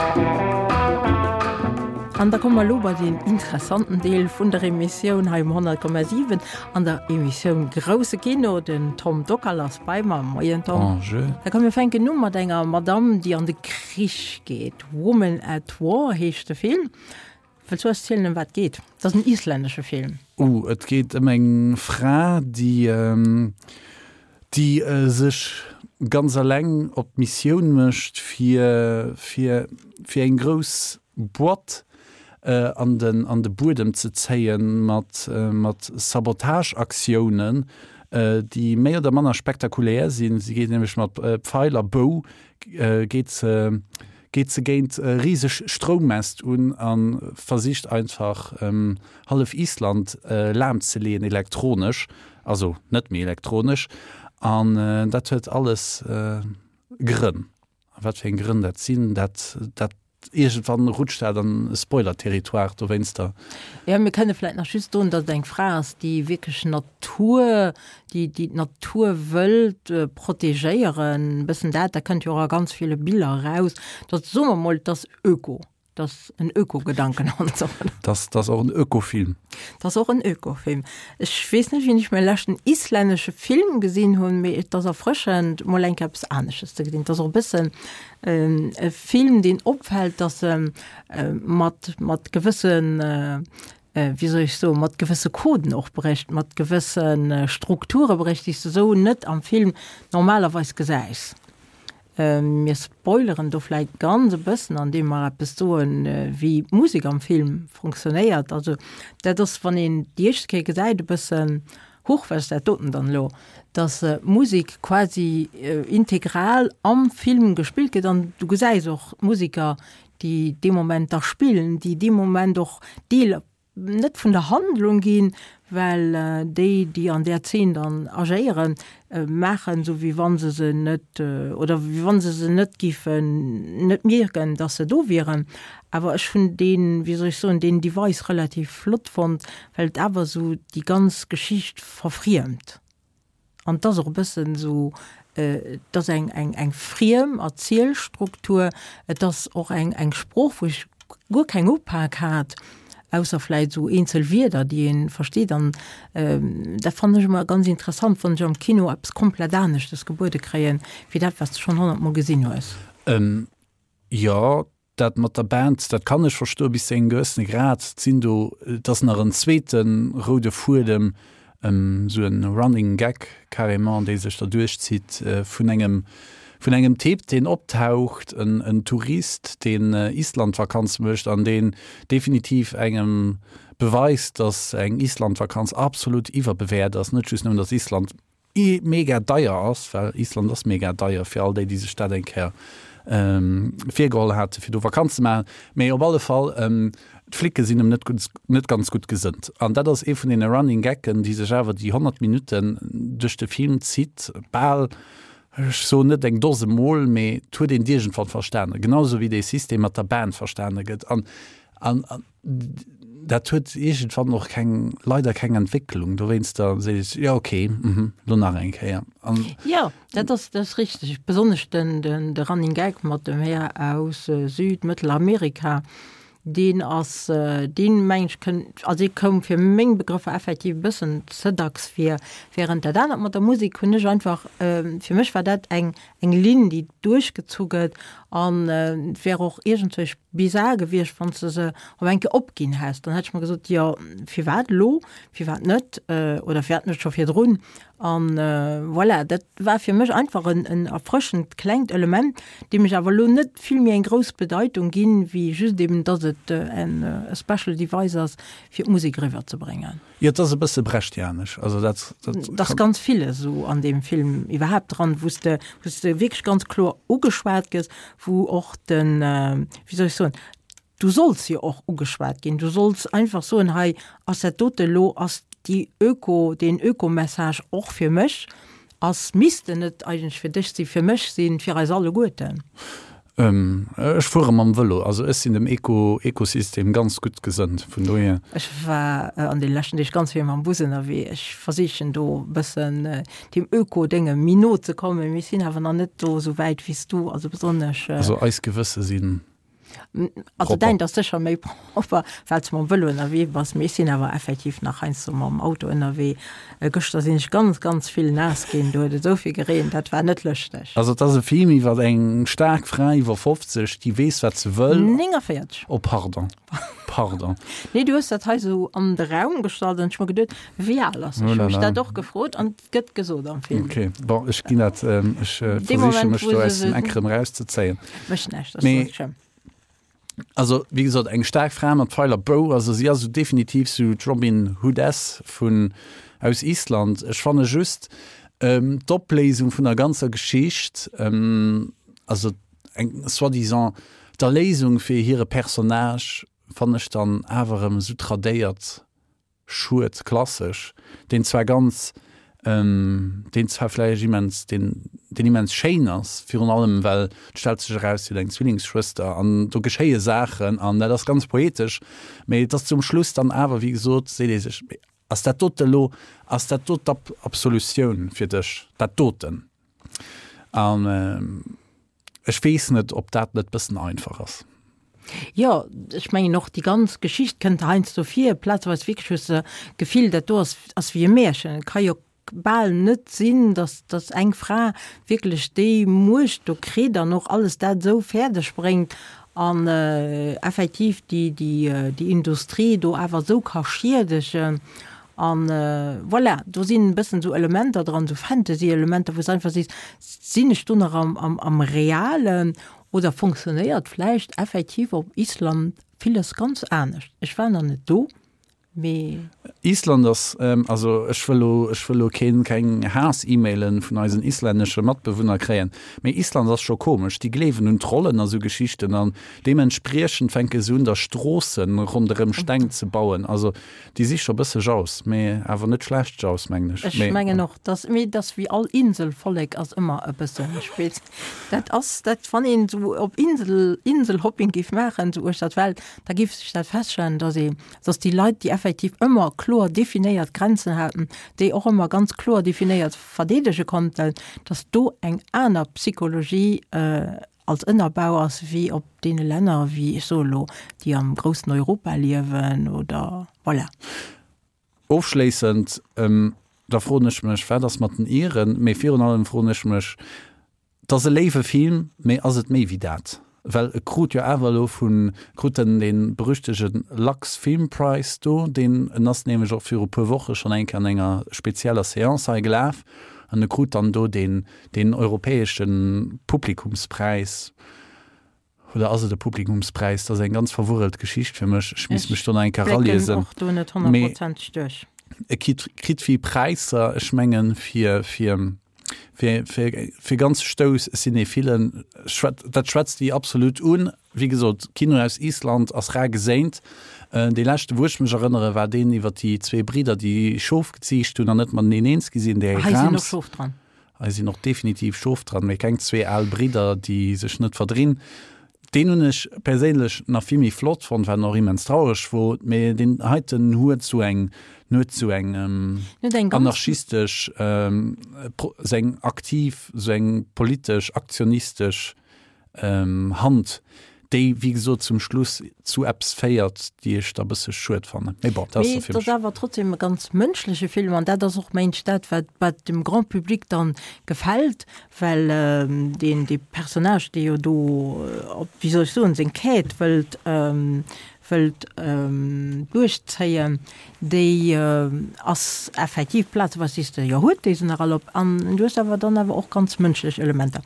An da komme mer elo bei deen interessanten Deel vun der Emissioun hei um honnert Komma siwen an der Emissioun Grousse Kino. Den Tom Dockal ass bei mer. Moien Tom. Bonjour. Da komm mir fänken u mat enger Madamm, déi an de Krich geet. Woman at War heescht de Film. Wëlls du eis zielen, ëm wat et geet? Et ass en islännesche Film. Oh, et geet ëm eng Fra, déi, déi sech ganz eleng op d'Missioun mécht, fir, fir, fir eng grouss Boîte an den, an de Buedem ze zéien mat, mat Sabotageaktiounen, déi méi oder manner spektakulär sinn. Si geet nämlech mat Pfeil a Bou geet se geet se géint riseg Stroummäst un a versicht einfach hallef Island lam ze leeën elektronesch. also net méi elektronesch, an dat huet alles Grënn. A wat fir eng Grënn dat sinn, dat, dat iergendwann rutscht dat an e Spoiler-Territoire dowéinster. Jo, mir kënne vläicht nach just soen, datt et eng Fra ass, déi wierklech Natur, déi, déi d'Natur wëllt protegéieren, e bëssen dat, dat kënnt jo och a ganz ville Biller eraus, datt, soe mer mol, et ass Öko. Dat ass en Öko-Gedanken an esou. Dat ass och en Ökofilm. Dat ass och en Ökofilm. Ech weess net, wéini ech mäi leschten islännesche Film gesinn hunn, mee et ass erfrëschend, mol eng Kéier eppes anesches ze gesinn. Et ass och e bëssen e Film, deen opfält, dass e mat, mat gewëssen, wéi soll ech soen, mat gewësse Coden och brécht, mat gewësse Strukture brécht, déi s de esou net am Film normalerweis gesäis. Mir spoileren do vläit ganz e bëssen, andeem mer eppes soen, wéi d'Musek am Film funktionéiert. Also dat ass, wann een déi éischt Kéier gesäit, e bëssen, Huch, wat ass dat doten dann elo? Dass d'Musek quasi integral am Film gespillt gëtt an du gesäis och d'Museker, déi dee Moment da spillen, déi dee Moment och Deel net vun der Handlung ginn, well déi, déi an där Zeen dann agéieren, maachen esou wéi wa se se net, oder wéi wa se se net géifen net mierken, datt se do wieren. Awer ech hunn deen, wéi soll ech soen, deen Device relativ flott fonnt, well et awer esou déi ganz Geschicht verfriemt. An et ass och e bëssen esou, et ass eng, eng, eng friem Erzielstruktur, et ass och eng, eng Sprooch, wou ech guer keng Upak hat, ausser vläit esou eenzel Wierder, déi ee versteet. An dat fannen ech ëmmer ganz interessant, wann ech am Kino eppes komplett aneschtes gebuede kréien, wéi dat, wat s de schonn honnert Mol gesinn hues. Jo, Dat mat der Band, dat kann ech verstoen, bis zu engem gewëssene Grad. Et sinn do, et ass nach en zweete roude Fuedem, esou en Running Gag carrément, dee sech da duerchzitt, vun engem, vun engem Typ, deen optaucht, en, en Tourist, deen Islandvakanz mécht an deen definitiv engem beweist, dass eng Islandvakanz absolut iwwerbewäert ass. Net just nëmmen, dass Island mega deier ass, well Island ass mega deier fir all déi, déi sech dat eng Kéier virgeholl hate fir do Vakanz ze maachen, mee op alle Fall, d'Flicke sinn em net gutt, net ganz gutt gesënnt. An dat ass ee vun deene Running Gaggen, déi sech awer déi honnert Minutten duerch de Film zitt, bal, ech soen net eng Dose Mol, mee et huet een et iergendwann verstanen, genau esou wéi dee System mat der Band verstane gëtt. An, an, dat huet iergendwann och keng, leider keng Entwécklung. Dowéinster seet ech, jo okay, mhm, lo nach eng Kéier. An Jo, dat ass, dat ass richteg. Besonnesch den, den, de Running Gag mat dem Här aus Süd-, Mëttelamerika, deen ass, deen mengen ech kënnt, also dee koum fir meng Begrëffer effektiv e bëssen ze dacks vir. Während dat anert mat der Musek hunn ech einfach, fir mech war dat eng, eng Linn, déi duerchgezu gëtt an et wär och iergendwéi bizar gewiescht, wann s de se op eng Kéier opginn häss. Dann hätt ech mer gesot, jo, firwat elo, firwat net oder firwat net scho virdrun? An voilà, dat war fir mech einfach en, en erfrëschend klengt Element, deem ech awer elo net vill méi eng grouss Bedeitung ginn, wéi just eben, dass et en special device ass, fir d'Musek eriwwerzebréngen. Jo, et ass e bësse brechtianesch. Also dat, dat Et ass ganz villes esou an deem Film iwwerhaapt dran, wou s de, wou s de wierklech ganz kloer ugeschwat gëss, wou och den, wéi soll ech soen, du solls jo och ugeschwat ginn, du solls einfach soen, hei ass dat dote elo, ass déi Öko, deen Öko-Message och fir mech, ass, misst en net eigentlech fir dech sinn, fir mech sinn, fir eis alleguerten. Ech fuere mam Vëlo, also ech sinn dem Eko, Ekosystem ganz gutt gesënnt, vun dohier. Ech war an deene leschten Deeg ganz vill mam Bus ënnerwee. Ech versichen do e bëssen deem Öko-Dénge méi no ze kommen, mee ech sinn awer nach net do esou wäit wéi s du, also besonnesch. Also eis Gewësse sinn Also däint ass sécher méi propper, well s de mam Vëlo ënnerwee bass, mee ech sinn awer effektiv nach heiansdo mam Auto ënnerwee. Gëschter sinn ech ganz, ganz vill naass ginn, do huet et esou vill gereent, dat war net lëschteg. Also et ass e Film iwwer eng staark Fra iwwer fofzeg, déi weess wat se wëll. néngavéierzeg. Oh pardon, pardon. Nee, du hues dat hei esou an de Raum gestallt an ech hu mer geduet, wéi al ass se? Ech hu mech dat och gefrot an et gëtt gesot am Film. Ok, bon, ech ginn dat, ech versiche mech do aus dem Eck erëm erauszezéien. Mécht näischt, ass net schlëmm. Also, wéi gesot, eng staark Fra mat Pfeil a Bou. Also si ass esou definitiv sou d'Robin Hoodess vun aus Island. Ech fanne just d'Opléisung vun der ganzer Geschicht, also eng soi-disant d'Erléisung fir hire Personnage, fannen ech dann awer erëm esou tradéiert schued, klassesch, deen zwar ganz deen zwar vläicht immens, deen, deen immens schéin ass, virun allem well et stellt sech eraus, si huet eng Zwillingsschwëster an do geschéie Saachen an dat ass ganz poetesch, mee et ass zum Schluss dann awer, wéi gesot, seet ee sech, mee ass dat dote elo, ass dat do d'Absolutioun fir dech, dat doten? An ech weess net, ob dat net bëssen einfach ass. Jo, ech mengen och déi ganz Geschicht kënnt heiansdo vir, plazeweis wierklech hues de d'Gefill, dat do ass, ass wéi e Märchen. Et ka jo bal net sinn, datt, datt eng Fra wierklech déi Muecht do kritt an och alles dat esou fäerdeg bréngt an effektiv déi, déi, déi Industrie do awer esou ka schiedegen. An voilà, do sinn e bëssen esou Elementer dran, esou Fantasy-Elementer, wou s de einfach sees, sinn ech do nach am, am, am Realen Oder fonctionnéiert vläicht effektiv op Island villes ganz anescht? Ech war nach net do, mee. Island ass, also ech wëll lo, ech wëll lo keen, keng Haass-E-Mailen vun eisen islännesche Matbewunner kréien, mee Island ass scho komesch. Déi gleewen un Trollen a sou Geschichten an deementspriechend fänke se un da Stroossen ronderëm Steng ze bauen. Also déi si scho bësse jaus, mee awer net schlecht jaus, mengen ech. Ech mengen och, dass, mee dass wéi all Inselvollek ass ëmmer e bësse spez. Dat ass dat, wann een esou op Insel, Inselhopping géif maachen, esou uechter d'Welt, da géif sech dat feststellen, dass ee, dass déi Leit, déi effektiv ëmmer kloer definéiert Grenzen haten, déi och ëmmer ganz kloer definéiert verdeedege konnten, dass do eng aner Psychologie als Ënnerbau ass wéi op deene Länner, wéi, ech soe lo, déi am groussen Europa liewen oder voilà. Ofschléissend, da froen ech mech, wat ass mat den Iren? Mee virun allem froen ech mech, Et ass e léiwe Film, mee ass et méi wéi dat? Well e krut jo awer elo vun, krut en dee berüchtege Lux Film Prize do, deen, en ass nämlech och viru puer Woche schonn eng Kéier an enger spezieller Seance hei gelaf, an e krut dann do deen, deen europäesche Publikumspräis. Oder ass et e Publikumspräis? Dat ass eng ganz verwurrelt Geschicht fir mech, ech misst mech do nach eng Kéier Ech blécken eraliesen. och do net Mee honnertprozenteg duerch. e kritt, kritt vill Präisser, ech mengen, fir, fir. Fir, fir, fir ganz Stouss Cinéphilen, dat schwätzt déi absolut un. Wéi gesot, Kino aus Island ass rar geséint. Dee leschte wou ech mech erënnere war deen iwwer déi zwee Bridder, déi Schof geziicht hunn an net mateneen eens gi sinn, déi Hei sinn och Rams. Schof dran. Hei sinn och definitiv Schof dran, mee keng zwee al Bridder, déi sech net verdrinn. Deen hunn ech perséinlech nach vill méi flott fonnt, wat och immens traureg wor, mee deen heiten huet sou eng, huet sou eng anarchistesch, sou eng aktiv, sou eng politesch, aktionistesch Hand, déi wéi gesot zum Schluss zu eppes féiert, déi ech da bësse schued fannen. Mee bon, dat ass Mee da fir et ass mech. awer trotzdem e ganz mënschleche Film an dat ass och mengt dat, wat wat dem Grand Public dann gefält, well deen dee Personnage, dee jo do op, wéi soll ech soen, seng Quête wëllt wëllt duerchzéien, déi ass effektiv plazeweis sees de, jo huet déi se nach all op an du hues awer dann awer och ganz mënschlech Elementer.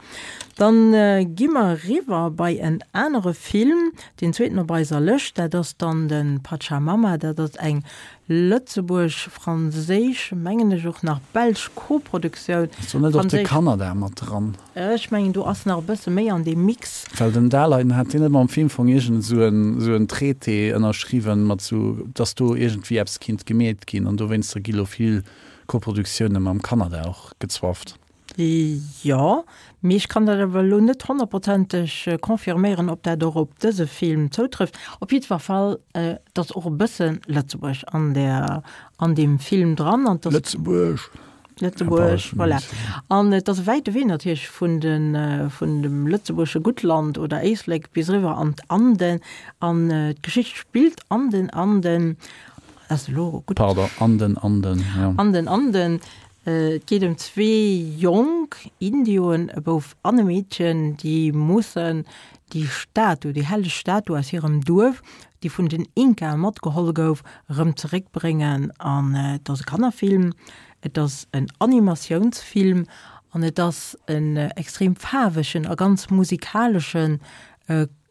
Dann gi mer eriwwer bei en anere Film, deen zweeten op eiser Lëscht, dat ass dann de Pachamama. Dat ass eng lëtzebuerg-franséisch, mengen ech och nach belsch Koproduktioun. Ass do net och de Franséisch. Kanada mat dran? Ech mengen do ass nach e bësse méi an deem Mix. Well den Daleiden hat deen net mam Filmfong iergend esou en esou en Traité ënnerschriwwen mat esou, dass do iergendwéi eppes kinnt gemeet ginn an dowéinster gi lo vill Koproduktioune mam Kanada och gezwafft. Jo, mee ech kann dat awer elo net honnertprozenteg confirméieren, ob dat och op dëse Film zoutrëfft. Op jiddwer Fall, et ass och e bësse Lëtzebuerg an där, an deem Film dran. An et ass. Lëtzebuerg! Lëtzebuerg, voilà. An et ass e wäite Wee natierlech vun de, vun dem lëtzebuergesche Guttland oder Éislek bis eriwwer an d'Anden. An d'Geschicht spillt an den Anden. Ass elo gutt. Pardon, an den Anden, jo. An den Anden. Et geet ëm zwee jonk Indioen, e Bouf an e Meedchen, déi mussen déi Statu, déi helleg Statu aus hirem Duerf, déi vun den Inkae matgeholl gouf, erëm zeréckbréngen. An et ass e Kannerfilm, et ass en Animatiounsfilm an et ass en extrem faarwegen a ganz musikalesche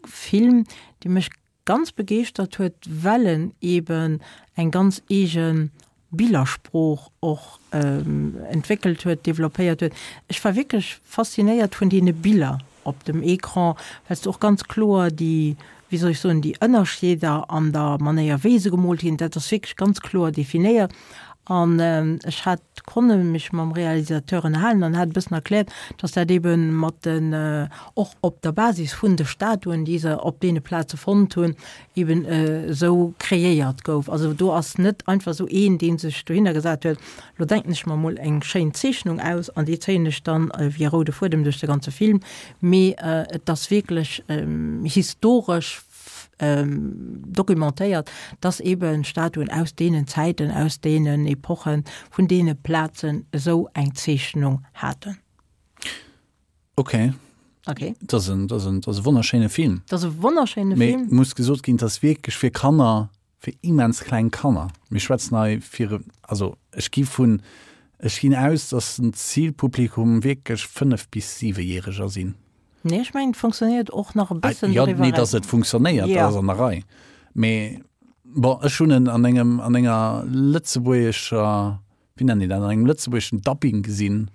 Film, dee mech ganz begeeschtert huet, well en eeben eng ganz eege Billersprooch och entwéckelt huet, developpéiert huet. Ech war wierklech faszinéiert vun deene Biller op dem Ecran, well s de och ganz kloer déi, wéi soll ech soen, déi Ënnerscheeder an der Manéier wéi se gemoolt ginn, dat ass wierklech ganz kloer definéiert. An ech hat konne mech mam Realisateur ënnerhalen an hat e bëssen erkläert, dass dat ebe mat den, och op der Basis vun de Statuen, déi se op deene Plaze fonnt hunn, eben esou kreéiert gouf. Also do ass net einfach esou een, dee sech dohinner gesat huet, lo denken ech mer mol eng schéin Zeechnung aus an déi zéien ech dann wéi e roude Fuedem duerch de ganze Film, mee et ass wierklech historesch documentéiert, dass eben Statuen aus deenen Zäiten, aus deenen Epochen, vun deene Plazen esou eng Zeechnung haten. Ok. Ok. Dat ass en, dat ass en, dat ass e wonnerschéine Film. Dat ass e wonnerschéine Film. Mee muss gesot ginn, dat ass wierklech fir Kanner, fir immens kleng Kanner. Mir schwätzen hei fir, also ech gi vun, ech ginn aus, dass den Zilpublikum wierklech fënnef bis siwejäreger sinn. Nee, ech mengen, et funktionéiert och nach e bëssen Jo, doriwwer nee, dass eraus. et funktionéiert, dat Ja. ass an der Rei. Mee bon, ech hunn en an engem, an enger lëtzebuergescher, wéi nennen déi dat, an engem lëtzebuergeschen Dubbing gesinn.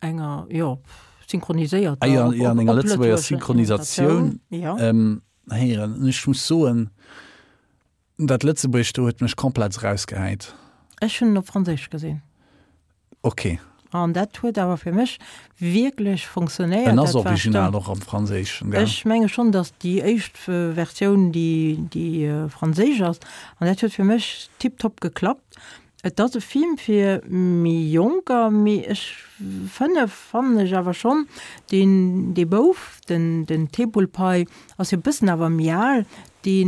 Enger, jo, synchroniséierter, Ah jo, op, jo, an op, enger op lëtzebuerger lëtzebuergescher Synchronisatioun Ja. ähm, héieren. An ech muss soen, dat Lëtzebuergescht do huet mech komplett erausgehäit. Ech hunn en op Franséisch gesinn. Ok. An dat huet awer fir mech wierklech funktionéiert. En ass Dat war original stark. och am Franséischen, gell? Ech menge schonn, datt déi éischt Versioun déi, déi franséisch ass. An dat huet fir mech tiptop geklappt. Et ass e Film fir méi Jonker, mee ech fënnef fannen ech awer schonn, deen, dee Bouf, den, den Tepulpai, ass jo e bëssen awer méi al, dee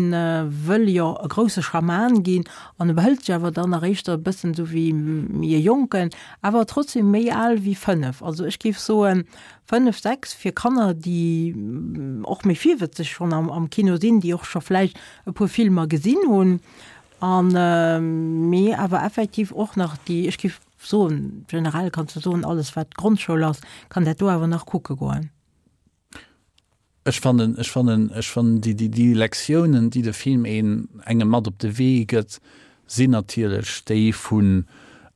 wëll jo e grousse Schaman ginn an e behëlt sech awer dann nach éischter e bëssen esou wéi méi e Jonken, awer trotzdem méi al wéi fënnef. Also ech géif soen, fënnef, sechs fir Kanner, déi och méi virwëtzeg schonn am, am Kino sinn, déi och scho vläicht e puer Filmer gesinn hunn an mee awer effektiv och nach déi, ech géif soen, generell kanns de soen, alles wat Grondschoul ass, kann dat do awer nach kucke goen. Ech fannen, ech fannen, ech fannen déi, déi, déi Lektiounen, déi de Film een, engem mat op de Wee gëtt, sinn natierlech déi vu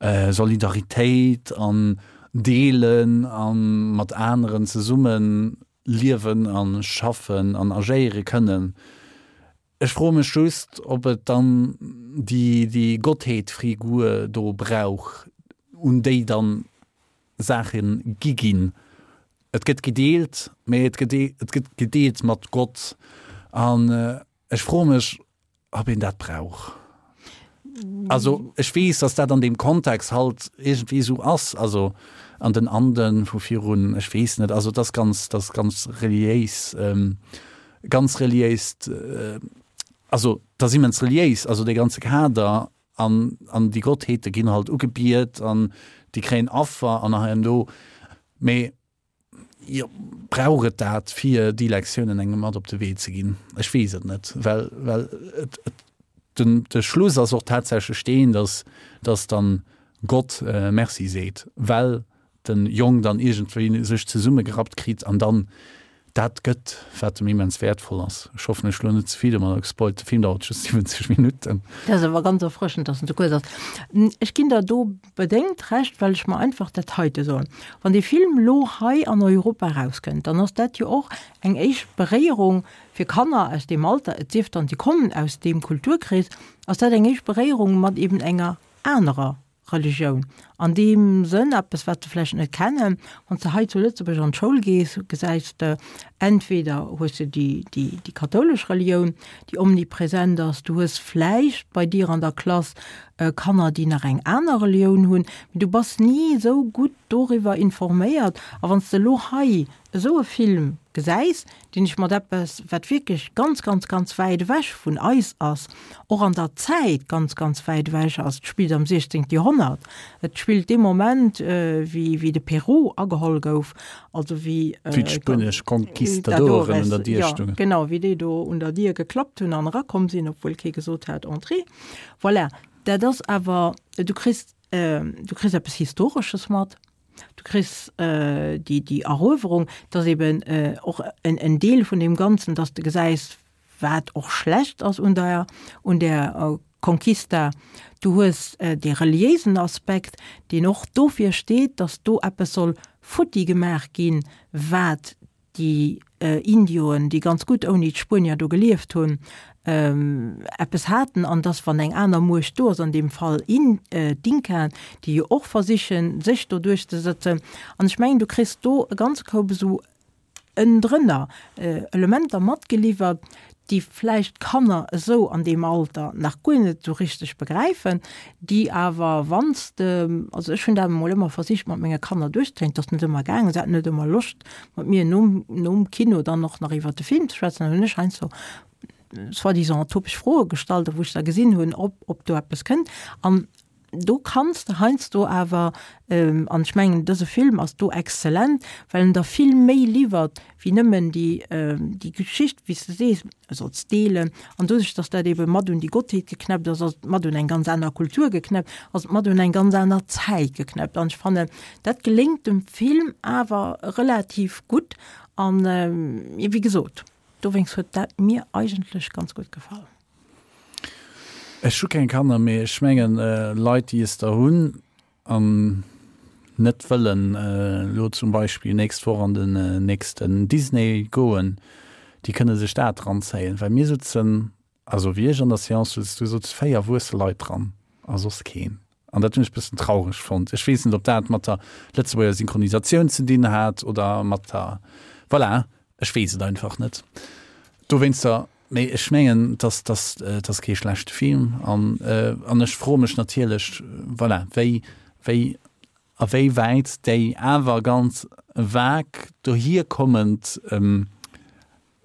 Solidaritéit an Deelen a mat aneren zesumme liewen a schaffen an agéiere kënnen. Ech froe mech just, ob et dann déi, déi Gottheetfrigur do brauch, un déi dann Saache gi ginn. Et gëtt gedeelt, mee et gëtt et gëtt gedeelt mat Gott. An ech froe mech, ob een dat brauch. Also ech weess, datt dat an deem Kontext halt iergendwéi esou ass, also an den Anden vu virun, ech weess net, also et ass ganz, dat ass ganz reliéis, ganz reliéist, also et ass immens reliéis, also dee ganze Kader an, an déi Gottheete ginn halt ugebiet an déi kréien Affer an hei an do. Mee jo, brauch et dat, fir déi Lektiounen engem mat op de Wee ze ginn? Ech weess et net, well, well et, et, den, de Schluss ass och tatsächlech deen, dass, dass dann Gott Merci seet, well den Jong dann iergendwéi sech zesummegerappt kritt an dann dat gëtt, wat em immens wäertvoll ass. Ech hoffen, ech hu lo net ze vill domadder gespoilt. De Film dauert just siwwenzeg Minutten. Dat ass awer ganz erfrëschend, dass en esou kuerz ass. Ech ginn der do bedéngt Recht, well ech mer einfach dat heite soen, Wann dee Film elo hei an Europa erauskënnt, dann ass dat jo och eng éischt Beréierung fir Kanner aus deem Alter, et sief dann, si kommen aus deem Kulturkrees, ass dat eng éischt Beréierung mat eben enger anerer Religioun an deem Sënn, eppes wat se vläicht net kennen. Wann s de hei zu Lëtzebuerg an d'Schoul gees, gesäis de, entweder hues de déi, déi, déi kathoulesch Relioun, déi omnipresent ass, du hues vläicht bei dir an der Klass Kanner, déi nach eng aner Relioun hunn, mee du bass ni esou gutt doriwwer informéiert. A wann s de elo hei esou e Film gesäis, deen ech mat eppes, wat wierklech ganz, ganz, ganz wäit ewech vun eis ass, och an der Zäit ganz, ganz wäit ewech ass, et spillt am siechzéngte Joerhonnert, et spillt dee Moment, wéi, wéi de Peru ageholl gouf, also wéi. Wéi d'spuenesch Conquistadoren un der Dier stungen. Jo, genau, wéi déi do un der Dier geklappt hunn an erakomm sinn, obwuel kee gesot hat, Entrez. Voilà, dat ass awer, du kriss, du kriss eppes Historesches mat. Du kriss déi, déi Eruewerung, dass eben och en, en Deel vun deem Ganzen, dass de gesäis, wat och schlecht ass un der, un där Conquista. Du hues dee reliéisen Aspekt, deen och dofir steet, dass do eppes soll futti gemaach ginn, wat déi Indioen, déi ganz gutt ouni d'Spuenier do gelieft hunn, eppes haten an dass wann eng aner Muecht do ass, an deem Fall in d'Inkaen, déi jo och versichen, sech do duerchzesëtzen. An ech mengen, du kriss do e ganze Koup esou ënnendrënner Elementer matgeliwwert, déi vläicht d'Kanner esou an deem Alter nach guer net esou richteg begräifen, déi awer, wann s de, also ech hunn dat emol ëmmer versicht mat menge Kanner duerchzekréien, et ass net ëmmer gaangen, se haten net ëmmer Loscht mat mir nom, nom Kino dann och nach iwwert de Film ze schwätzen, dann hunn ech heiansdo soi-disant topeg Froe gestallt, wou ech da gesinn hunn, ob, ob do eppes kënnt. An do kanns de heiansdo awer, an ech mengen, dëse Film ass do exzellent, well en der vill méi liwwert wéi nëmmen déi, déi Geschicht, wéi s de sees, solls deelen. An doduerch, datt dat ebe mat un déi Gottheet geknäppt ass, ass et mat un eng ganz aner Kultur geknäppt, ass et mat un eng ganz aner Zäit geknäppt. An ech fannen, dat geléngt dem Film awer relativ gutt. An, wéi gesot, Dowéinst huet dat mir eigentlech ganz gutt gefall. Ech hu keng Kanner, mee ech mengen Leit déi es der hunn an net wëllen elo zum Beispill nächst Woch an den nächsten Disney goen, déi kënne sech dat eranzéien, well mir sutzen, also wéi ech an der Seance sutz, do sutze véier erwuesse Leit dran a soss keen. An dat hunn ech e bëssen traureg fonnt. Ech weess net, ob dat mat der Lëtzebuerger Synchronisatioun ze dinn hat oder mat der, voilà, ech weess et einfach net. Dowéinster, mee ech mengen, dass, dass, et ass kee schlechte Film. An, an ech froe mech natierlech, voilà, wéi, wéi, a wéi wäit déi awer ganz vag dohierkommend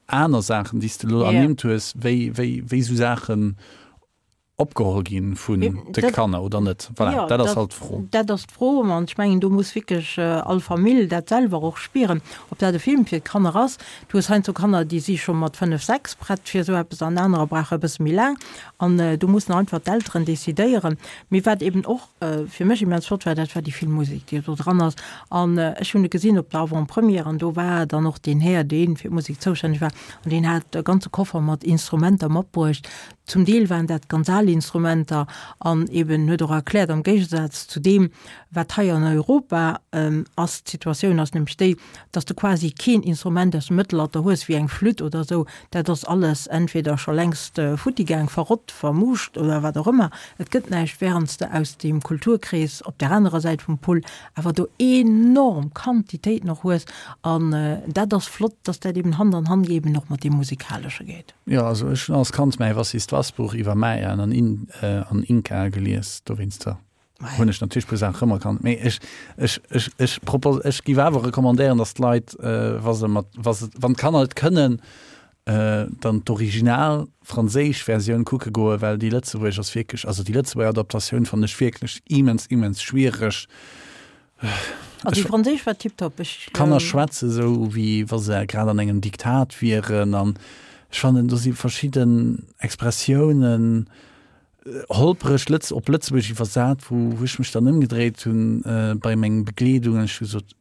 aner Saachen, déi s de elo ernimmt hues, wéi, wéi, wéi esou Saachen opgeholl ginn vun de Kanner oder net. Voilà, dat ass halt d'Fro. Dat ass d'Fro, an ech mengen, do muss wierklech all Famill dat selwer och spieren, ob dat e Film fir d'Kanner ass. Du hues heiansdo Kanner, déi si scho mat fënnef, sechs prett fir esou eppes an anerer brauche e bësse méi laang. An do mussen einfach d'Elteren decidéieren. Mee wat eben och fir mech immens flott war, dat war déi vill Musek, déi do dran ass. An ech hunn e gesinn op der Avant-première an do war dann och deen Här, dee fir d'Musek zoustänneg war, an deen hat e ganze Koffer mat Instrumenter matbruecht. Zum Deel waren dat ganz al Instrumenter an eben huet och erkläert, am Géigesaz zu deem, wat hei an Europa ass, d'Situatioun ass nämlech déi, dass de quasi keen Instrument aus dem Mëttelalter hues, wéi eng Flütt oder esou, dat ass alles entweder scho längst futti gaang, verrott, vermuuscht oder wat och ëmmer, et gëtt näischt, während s de aus deem Kulturkrees op där anerer Säit vum Pull awer do enorm Quantitéiten och hues an dat ass flott, dass dat eben Hand an Hand eben och mat deem Musikalesche geet. Jo, also ech hunn als Kand mäi Was ist was Buch iwwer Mayaen an In an Inkae gelies, dowéinster hunn ech natierlech puer Saachen erëmerkannt. Mee ech ech ech ech propos ech giff awer recommandéieren, datt d'Leit, wa se mat wa se wann d'Kanner et kënnen, dann d'original franséisch Versioun kucke goen, well déi lëtzebuergesch ass wierklech, also déi lëtzebuerger Adaptatioun fannen ech wierklech immens immens schwiereg. Also déi franséisch war tiptop. Ech. D'Kanner schwätze sou wéi wa se grad an engem Diktat wieren an ech fannen do si verschidden Expressiounen holpereg lëtz op Lëtzebuergesch iwwersat, wou wou ech mech dann ëmgedréit hunn bei meng Begleedung an ech hu gesot,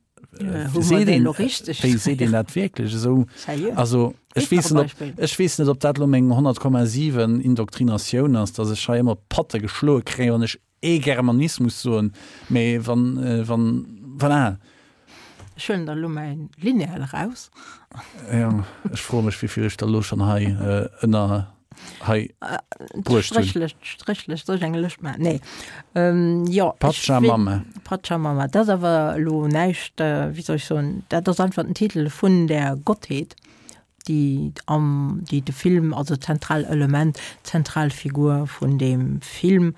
seet een wéi seet een dat wierklech esou? Also ech weess net ob ech weess net ob dat elo meng honnert Komma siwen Indoktrinatioun ass, datt ech hei ëmmer op d'Patte geschloe kréien, wann ech ee Germanismus soen, mee wann, wann, voilà. Ech huelen der elo mäin Lineal eraus. Jo, ech froe mech, wéivill ech der elo schonn hei ënner hei bruecht hunn. D'Stréchlëscht, d'Stréchlëscht, soll ech eng Lëscht maachen? Nee. Jo, ech Pachamama. Pachamama, dat ass awer elo näischt, wéi soll ech soen, dat ass einfach den Titel vun där Gottheet. déi am, déi de Film, also zentral Element, zentral Figur vun deem Film.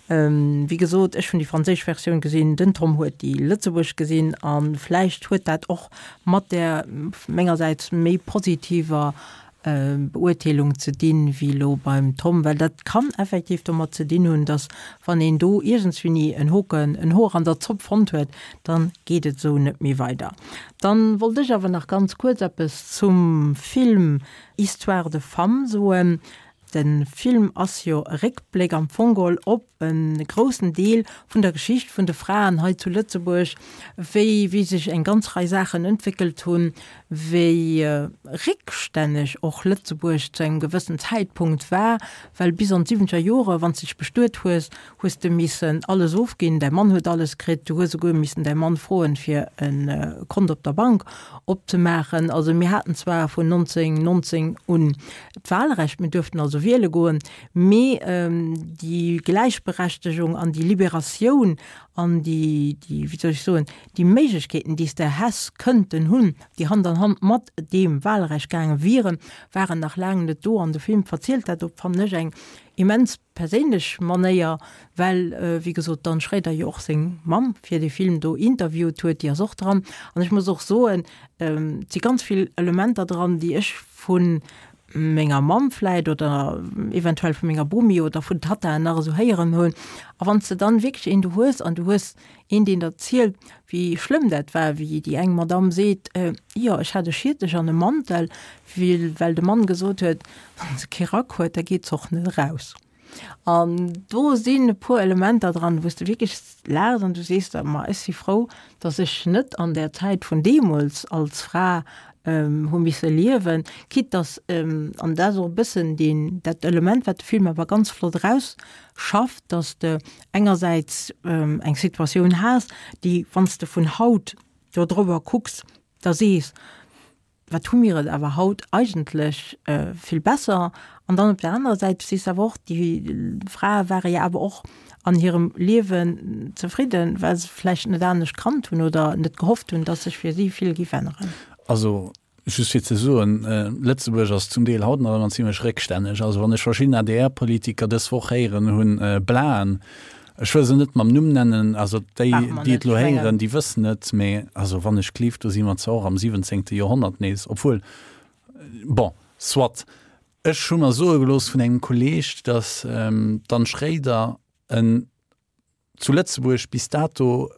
Wéi gesot, ech hunn déi franséisch Versioun gesinn, den Tom huet déi lëtzebuergesch gesinn a vläicht huet dat och mat där mengersäits méi positiver Beurteelung ze dinn, wéi elo beim Tom, well dat kann effektiv domat ze dinn hunn, datt wann een do iergendswéini en Hoken, en Hoer an der Zopp fonnt huet, dann geet et esou net méi weider. Dann wollt ech awer nach ganz kuerz eppes zum Film Histoires de femmes soen. De Film ass jo e Réckbléck am Fong geholl op e groussen Deel vun der Geschicht vun de Fraen hei zu Lëtzebuerg, wéi wéi sech eng ganz Rei Saachen entwéckelt hunn, wéi réckstänneg och Lëtzebuerg zu engem gewëssen Zäitpunkt war, well bis an d'siwwenzeger Jore, wann s de dech bestuet hues, hues de missen alles ofginn, däi Mann huet alles kritt, du hues esouguer missen däi Mann froen, fir e Kont op der Bank opzemaachen. Also mir haten zwar vun nonzéng nonzéng un d'Wahlrecht, mir duerften also wiele goen, mee déi Gläichberechtegung an déi Liberatioun an déi, déi, wéi soll ech soen, déi Méiglechkeeten, déi s de häss kënnten hunn, déi Hand an Hand mat deem Wahlrecht gaange wieren, waren nach laang net do. An de Film verzielt dat op, fannen ech, eng immens perséinlech Manéier, well, wéi gesot, d'Anne Schréider jo och seng Mamm fir dee Film do interviewt huet, déi ass och dran. An ech muss och soen, et si ganz vill Elementer dran, déi ech vu menger Mamm vläit oder eventuell vu menger Bomi oder vun Tattaen nach esou héieren hunn. A wann s de dann wierklech een do hues an du hues een, deen der zielt, wéi schlëmm dat war, wéi déi eng Madamm seet, Jo, ech hat e Schiertech an e Mantel, well de Mann gesot huet, wann se kee Rack huet, da geet se och net eraus. An do sinn e puer Elementer dran, wou s de wierklech laachs an du sees der, Ma ech si frou, datt ech net an där Zäit vun deemools als Fra hu misse liewen, quitte datt, an dat ass och e bëssen deen, dat Element, wat de Film awer ganz flott erausschafft, datt s de engersäits eng Situatioun has, déi, wann s de vun haut do driwwer kucks, da sees, Wat hu mir et awer haut eigentlech vill besser. An dann op der anerer Säit sees de awer och, déi Frae ware jo awer och an hirem Liewen zefridden, well se vläicht net anescht kannt hunn oder net gehofft hunn, datt sech fir si vill géif änneren. Also just fir ze soen, Lëtzebuerg ass zum Deel haut nach ëmmer zimlech réckstänneg. Also wann ech verschidden A D R-Politiker dës Woch héieren hunn blaen, ech wëll se net mam Numm nennen, also déi, déi et elo héieren, déi wëssen et, mä also wann ech gleeft, do si mer zwar och am siwwenzéngte Joerhonnert nees, obwuel, bon, soit. Ech hu mer soe gelooss vun engem Kolleeg, datt d'Anne Schréider en zu Lëtzebuerg bis dato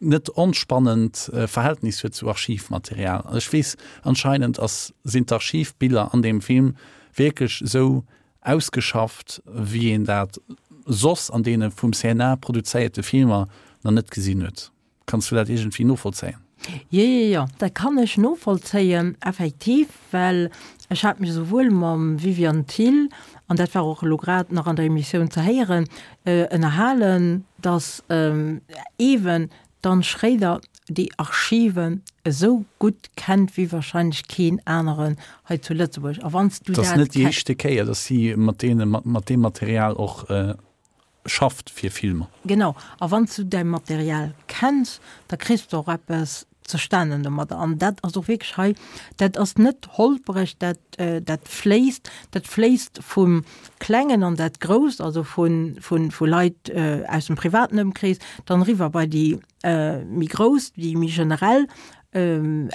net onspannend Verhältnis huet zu Archivmaterial. An ech weess, anscheinend ass, sinn d'Archivbiller an deem Film wierklech esou ausgeschafft, wéi een dat soss an deene vum C N A produzéierte Filmer nach net gesinn huet. Kanns du dat iergendwéi novollzéien? Jo, jo, jo, dat kann ech novollzéien, effektiv, well ech hat mech esouwuel mam Viviane Thill, an dat war och elo grad nach an der Emissioun ze héieren, ënnerhalen, datt eeben d'Anne Schréider déi Archiven esou gutt kennt wéi wahrscheinlech keen aneren hei zu Lëtzebuerg. A wann s du Et ass dat net déi éischte Kéier, datt si mat deene, mat deem Material och schafft fir Filmer. Genau. A wann s du däi Material kenns, da kriss de och eppes zustanen domadder. An dat ass och wierklech hei, dat ass net holpereg, dat, dat fléisst, dat fléisst vum Klengen an dat Grousst, also vu, vu, vu Leit aus dem privaten Ëmkrees, dann eriwwer bei déi méi grouss, déi méi generell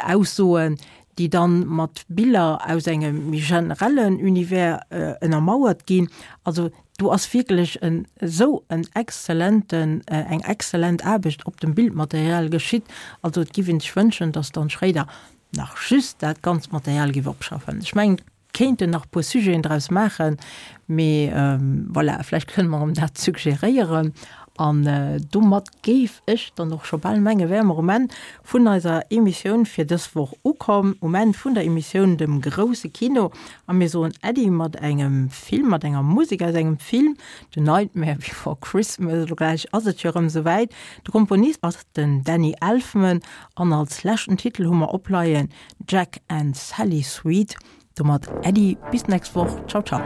Aussoen, déi dann mat Biller aus engem méi generellen Univers ënnermauert ginn. Also do ass wierklech en esou en exzellenten, eng exzellent Aarbecht op dem Bildmaterial geschitt. Also et giff een sech wënschen, dass d'Anne Schréider nach just dat ganzt Material giff opschaffen. Ech mengen, et kéinten nach e puer Sujeten draus maachen, mee voilà, vläicht kënne mer em dat suggeréieren. An domat géif ech dann och scho bal menge wäre mer um Enn vun eiser Emissioun fir dës Woch ukomm, um Enn vun der Emissioun Dem grousse Kino. A mir soen Äddi mat engem Film, mat enger Musek aus engem Film, The Nightmare Before Christmas. Elo gläich ass et jo erëm esouwäit. De Komponist ass den Danny Elfman an als leschten Titel hu mer opleien Jack and Sally Suite. Domat Äddi, bis d'nächst Woch. Ciao, ciao.